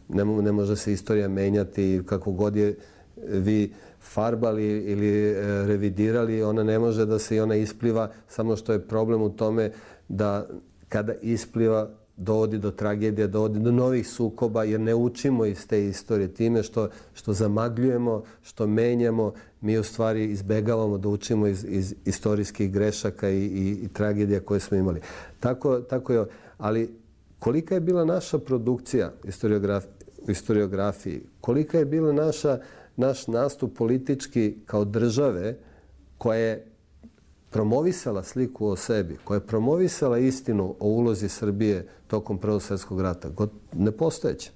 Ne, ne može se istorija menjati kako god je vi farbali ili revidirali. Ona ne može da se i ona ispliva, samo što je problem u tome da kada ispliva dovodi do tragedije, dovodi do novih sukoba, jer ne učimo iz te istorije time što, što zamagljujemo, što menjamo. Mi u stvari izbegavamo da učimo iz, iz istorijskih grešaka i, i, i tragedija koje smo imali. Tako, tako je. Ali kolika je bila naša produkcija historiograf, u historiografiji? Kolika je bila naša, naš nastup politički kao države koja je promovisala sliku o sebi, koja je promovisala istinu o ulozi Srbije tokom Prvog svjetskog rata? Nepostojeća.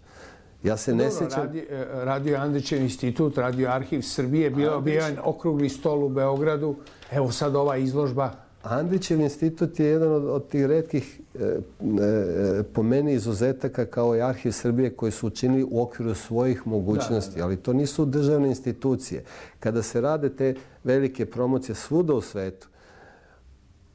Ja se ne sjećam... Radio, radio Andrićev institut, Radio arhiv Srbije, bio bio okrugli stol u Beogradu. Evo sad ova izložba Andrićev institut je jedan od, od tih retkih e, e, po meni izuzetaka kao i Arhiv Srbije koji su učinili u okviru svojih mogućnosti, da, da. Ali to nisu državne institucije. Kada se rade te velike promocije svuda u svetu,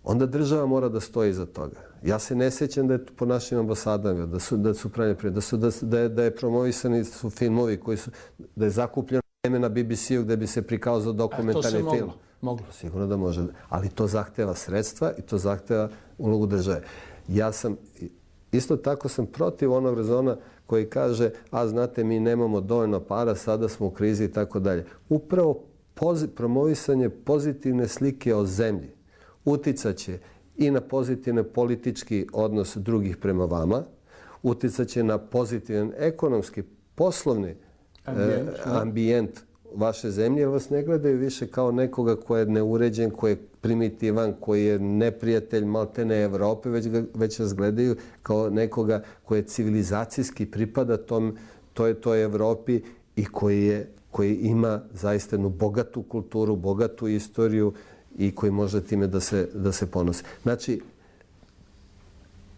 onda država mora da stoji iza toga. Ja se ne sjećam da je po našim ambasadama, da su, da su pravljene prije, da, su, da, da, je, da je promovisani su filmovi koji su, da je zakupljeno vreme na B B C-u gdje bi se prikazao dokumentarni film. Moglo. Moglo. Sigurno da može. Ali to zahteva sredstva i to zahteva ulogu države. Ja sam, isto tako sam protiv onog rezona koji kaže, a znate, mi nemamo dovoljno para, sada smo u krizi i tako dalje. Upravo pozi, promovisanje pozitivne slike o zemlji uticaće i na pozitivni politički odnos drugih prema vama, uticaće na pozitivan ekonomski, poslovni ambijent, eh, ambijent vaše zemlje, jer vas ne gledaju više kao nekoga koji je neuređen, koji je primitivan, koji je neprijatelj maltene Evrope, već, ga, već vas gledaju kao nekoga koji je civilizacijski pripada tom, toj, toj Evropi i koji, je, koji ima zaista jednu bogatu kulturu, bogatu istoriju i koji može time da se, da se ponosi. Znači,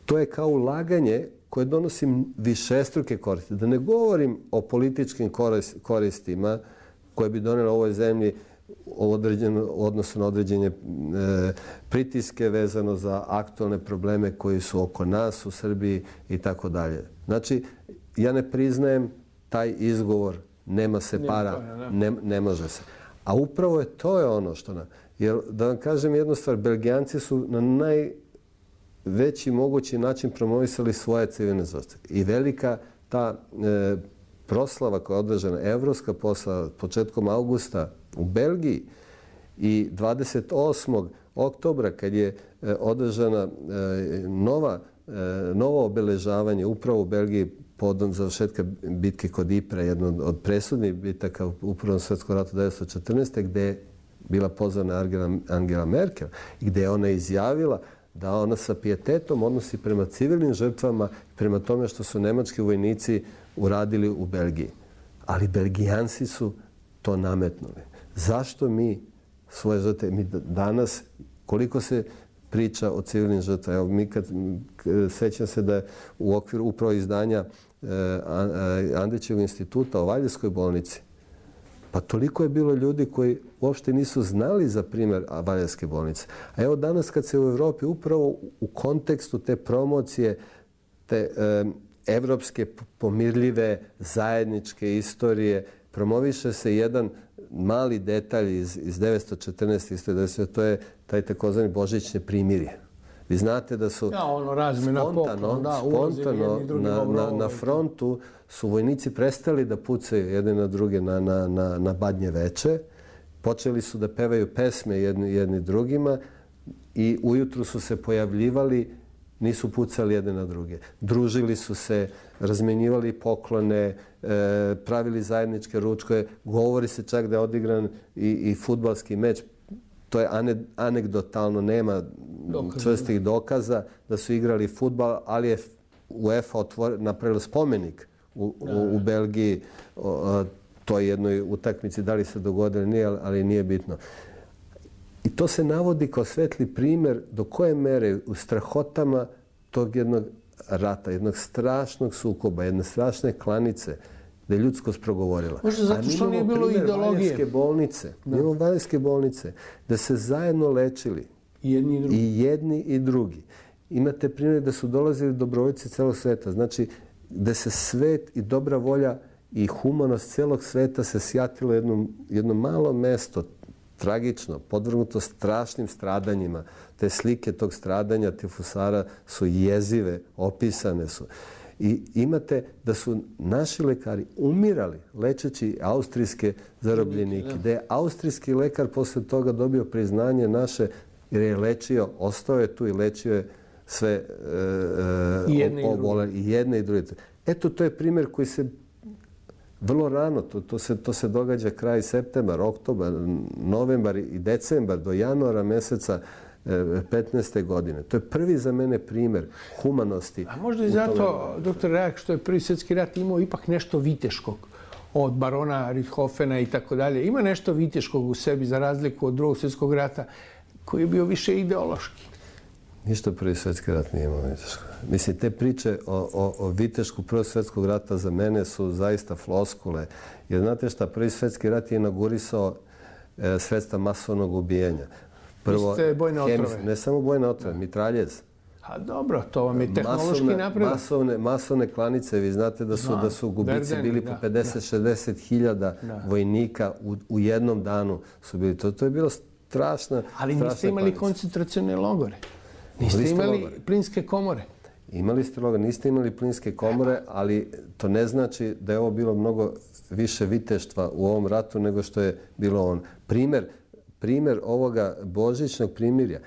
to je kao ulaganje koje donosi višestruke koristi. Da ne govorim o političkim koristima koje bi donijela ovoj zemlji određeno, odnosno na određenje e, pritiske vezano za aktualne probleme koji su oko nas u Srbiji i tako dalje. Znači, ja ne priznajem taj izgovor, nema se para, ne, ne može se. A upravo je to je ono što nam... Jer, da vam kažem jednu stvar, Belgijanci su na najveći mogući način promovisali svoje civilne žrtve. I velika ta e, proslava koja je održana, evropska proslava početkom augusta u Belgiji i dvadeset osmog oktobra kad je e, održana e, nova, e, novo obeležavanje upravo u Belgiji povodom završetka bitke kod Ypres, jedno od presudnih bitaka u Prvom svjetskom ratu devetsto četrnaeste. gdje je bila pozvana Angela, Angela Merkel i gdje je ona izjavila da ona sa pijetetom odnosi prema civilnim žrtvama, prema tome što su nemački vojnici uradili u Belgiji. Ali Belgijanci su to nametnuli. Zašto mi svoje žrtve, mi danas, koliko se priča o civilnim žrtvama, evo mi kad, sećam se da je u okviru upravo izdanja eh, Andrićevog instituta o Valjevskoj bolnici, pa toliko je bilo ljudi koji uopšte nisu znali za primjer Valjevske bolnice. A evo danas kad se u Evropi upravo u kontekstu te promocije, te eh, evropske pomirljive zajedničke istorije, promoviše se jedan mali detalj iz, iz devetsto četrnaeste. To je taj takozvani božićne primirje. Vi znate da su ja, ono, razmjena spontano, poklon, da, spontano na, na, na frontu su vojnici prestali da pucaju jedni na druge na, na, na, na Badnje veče. Počeli su da pevaju pesme jedni, jedni drugima i ujutru su se pojavljivali, nisu pucali jedne na druge. Družili su se, razmenjivali poklone, e, pravili zajedničke ručkove. Govori se čak da je odigran i, i fudbalski meč. To je ane, anegdotalno, nema Dokaz, čvrstih dokaza da su igrali fudbal, ali je UEFA otvor, napravila spomenik u, u, u Belgiji o, o toj jednoj utakmici. Da li se dogodilo, nije, ali nije bitno. I to se navodi kao svetli primjer do koje mere u strahotama tog jednog rata, jednog strašnog sukoba, jedne strašne klanice, da je ljudskost progovorila. Možda zato što nije bilo ideologije. Valjevske bolnice, da. Imamo Valjevske bolnice, da se zajedno lečili i jedni i drugi. I, jedni i drugi. Imate primjer da su dolazili dobrovoljci celog sveta. Znači, da se svet i dobra volja i humanost celog sveta se sjatilo jedno, jedno malo mesto, tragično, podvrgnuto strašnim stradanjima. Te slike tog stradanja tifusara su jezive, opisane su. I imate da su naši lekari umirali lečeći austrijske zarobljenike. Da je austrijski lekar posle toga dobio priznanje naše jer je lečio, ostao je tu i lečio je sve e, I jedne obole, i jedne i druge. Eto, to je primjer koji se vrlo rano, to, to, se, to se događa kraj septembar, oktobar, novembar i decembar do januara meseca petnaeste godine. To je prvi za mene primjer humanosti. A možda i zato, doktor Rajak, što je prvi svjetski rat imao ipak nešto viteškog od barona Richthofena i tako dalje. Ima nešto viteškog u sebi za razliku od drugog svjetskog rata. koji je bio više ideološki. Ništa Prvi svjetski rat nije imao viteško. Mislim, te priče o, o, o vitešku Prvog svjetskog rata za mene su zaista floskule. Jer znate šta, Prvi svjetski rat je inaugurisao e, sredstva masovnog ubijanja. Prvo, bojne otrove. Ne samo bojne otrove, mitraljez. A dobro, to vam je tehnološki napredak. Masovne, masovne klanice, vi znate da su, Znam, da su gubici Verdeni, bili po pedeset šezdeset hiljada vojnika u, u jednom danu su bili. To, to je bilo strašna Ali niste strašna imali klanice. koncentracione logore. Niste imali logore. Plinske komore. Imali ste logore, niste imali plinske komore, ali to ne znači da je ovo bilo mnogo više viteštva u ovom ratu nego što je bilo on. Primjer, primjer ovoga božićnog primirja.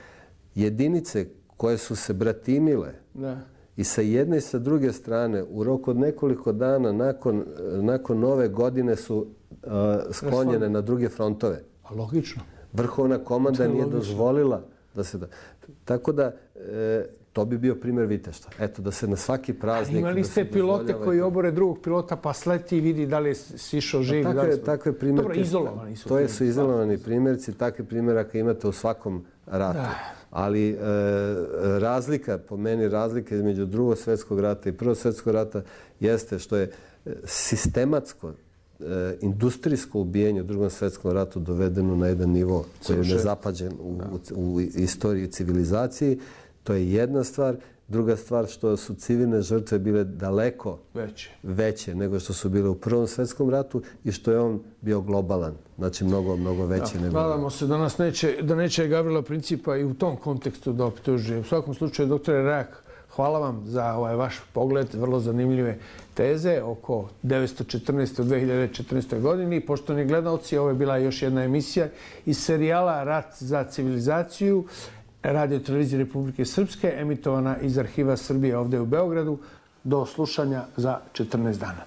Jedinice koje su se bratimile da. I sa jedne i sa druge strane u roku od nekoliko dana nakon, nakon nove godine su uh, sklonjene na druge frontove. A logično. Vrhovna komanda nije dozvolila da se da... Tako da e, to bi bio primjer viteštva. Eto, da se na svaki praznik... A imali ste pilote koji obore drugog pilota pa sleti i vidi da li je sišao živ. Takve, da li su... takve primjerke... Dobro, izolovani su. To je, su izolovani primjerci. Takve primjeraka imate u svakom ratu. Da. Ali e, razlika, po meni razlika između Drugog svjetskog rata i Prvog svjetskog rata jeste što je sistematsko e, industrijsko ubijanje u Drugom svjetskom ratu dovedeno na jedan nivo koji je nezapađen u, u, u istoriji civilizaciji. To je jedna stvar. Druga stvar što su civilne žrtve bile daleko veće. veće nego što su bile u Prvom svjetskom ratu i što je on bio globalan. Znači mnogo, mnogo veći. Da, nego... Nadamo se da nas neće, da neće Gavrila Principa i u tom kontekstu da optužuje. U svakom slučaju, doktore Rajak, hvala vam za ovaj vaš pogled, vrlo zanimljive teze oko devetsto četrnaeste u dve hiljade četrnaestoj godini. Poštovani gledalci, ovo je bila još jedna emisija iz serijala Rat za civilizaciju Radio televizije Republike Srpske, emitovana iz Arhiva Srbije ovdje u Beogradu. Do slušanja za četrnaest dana.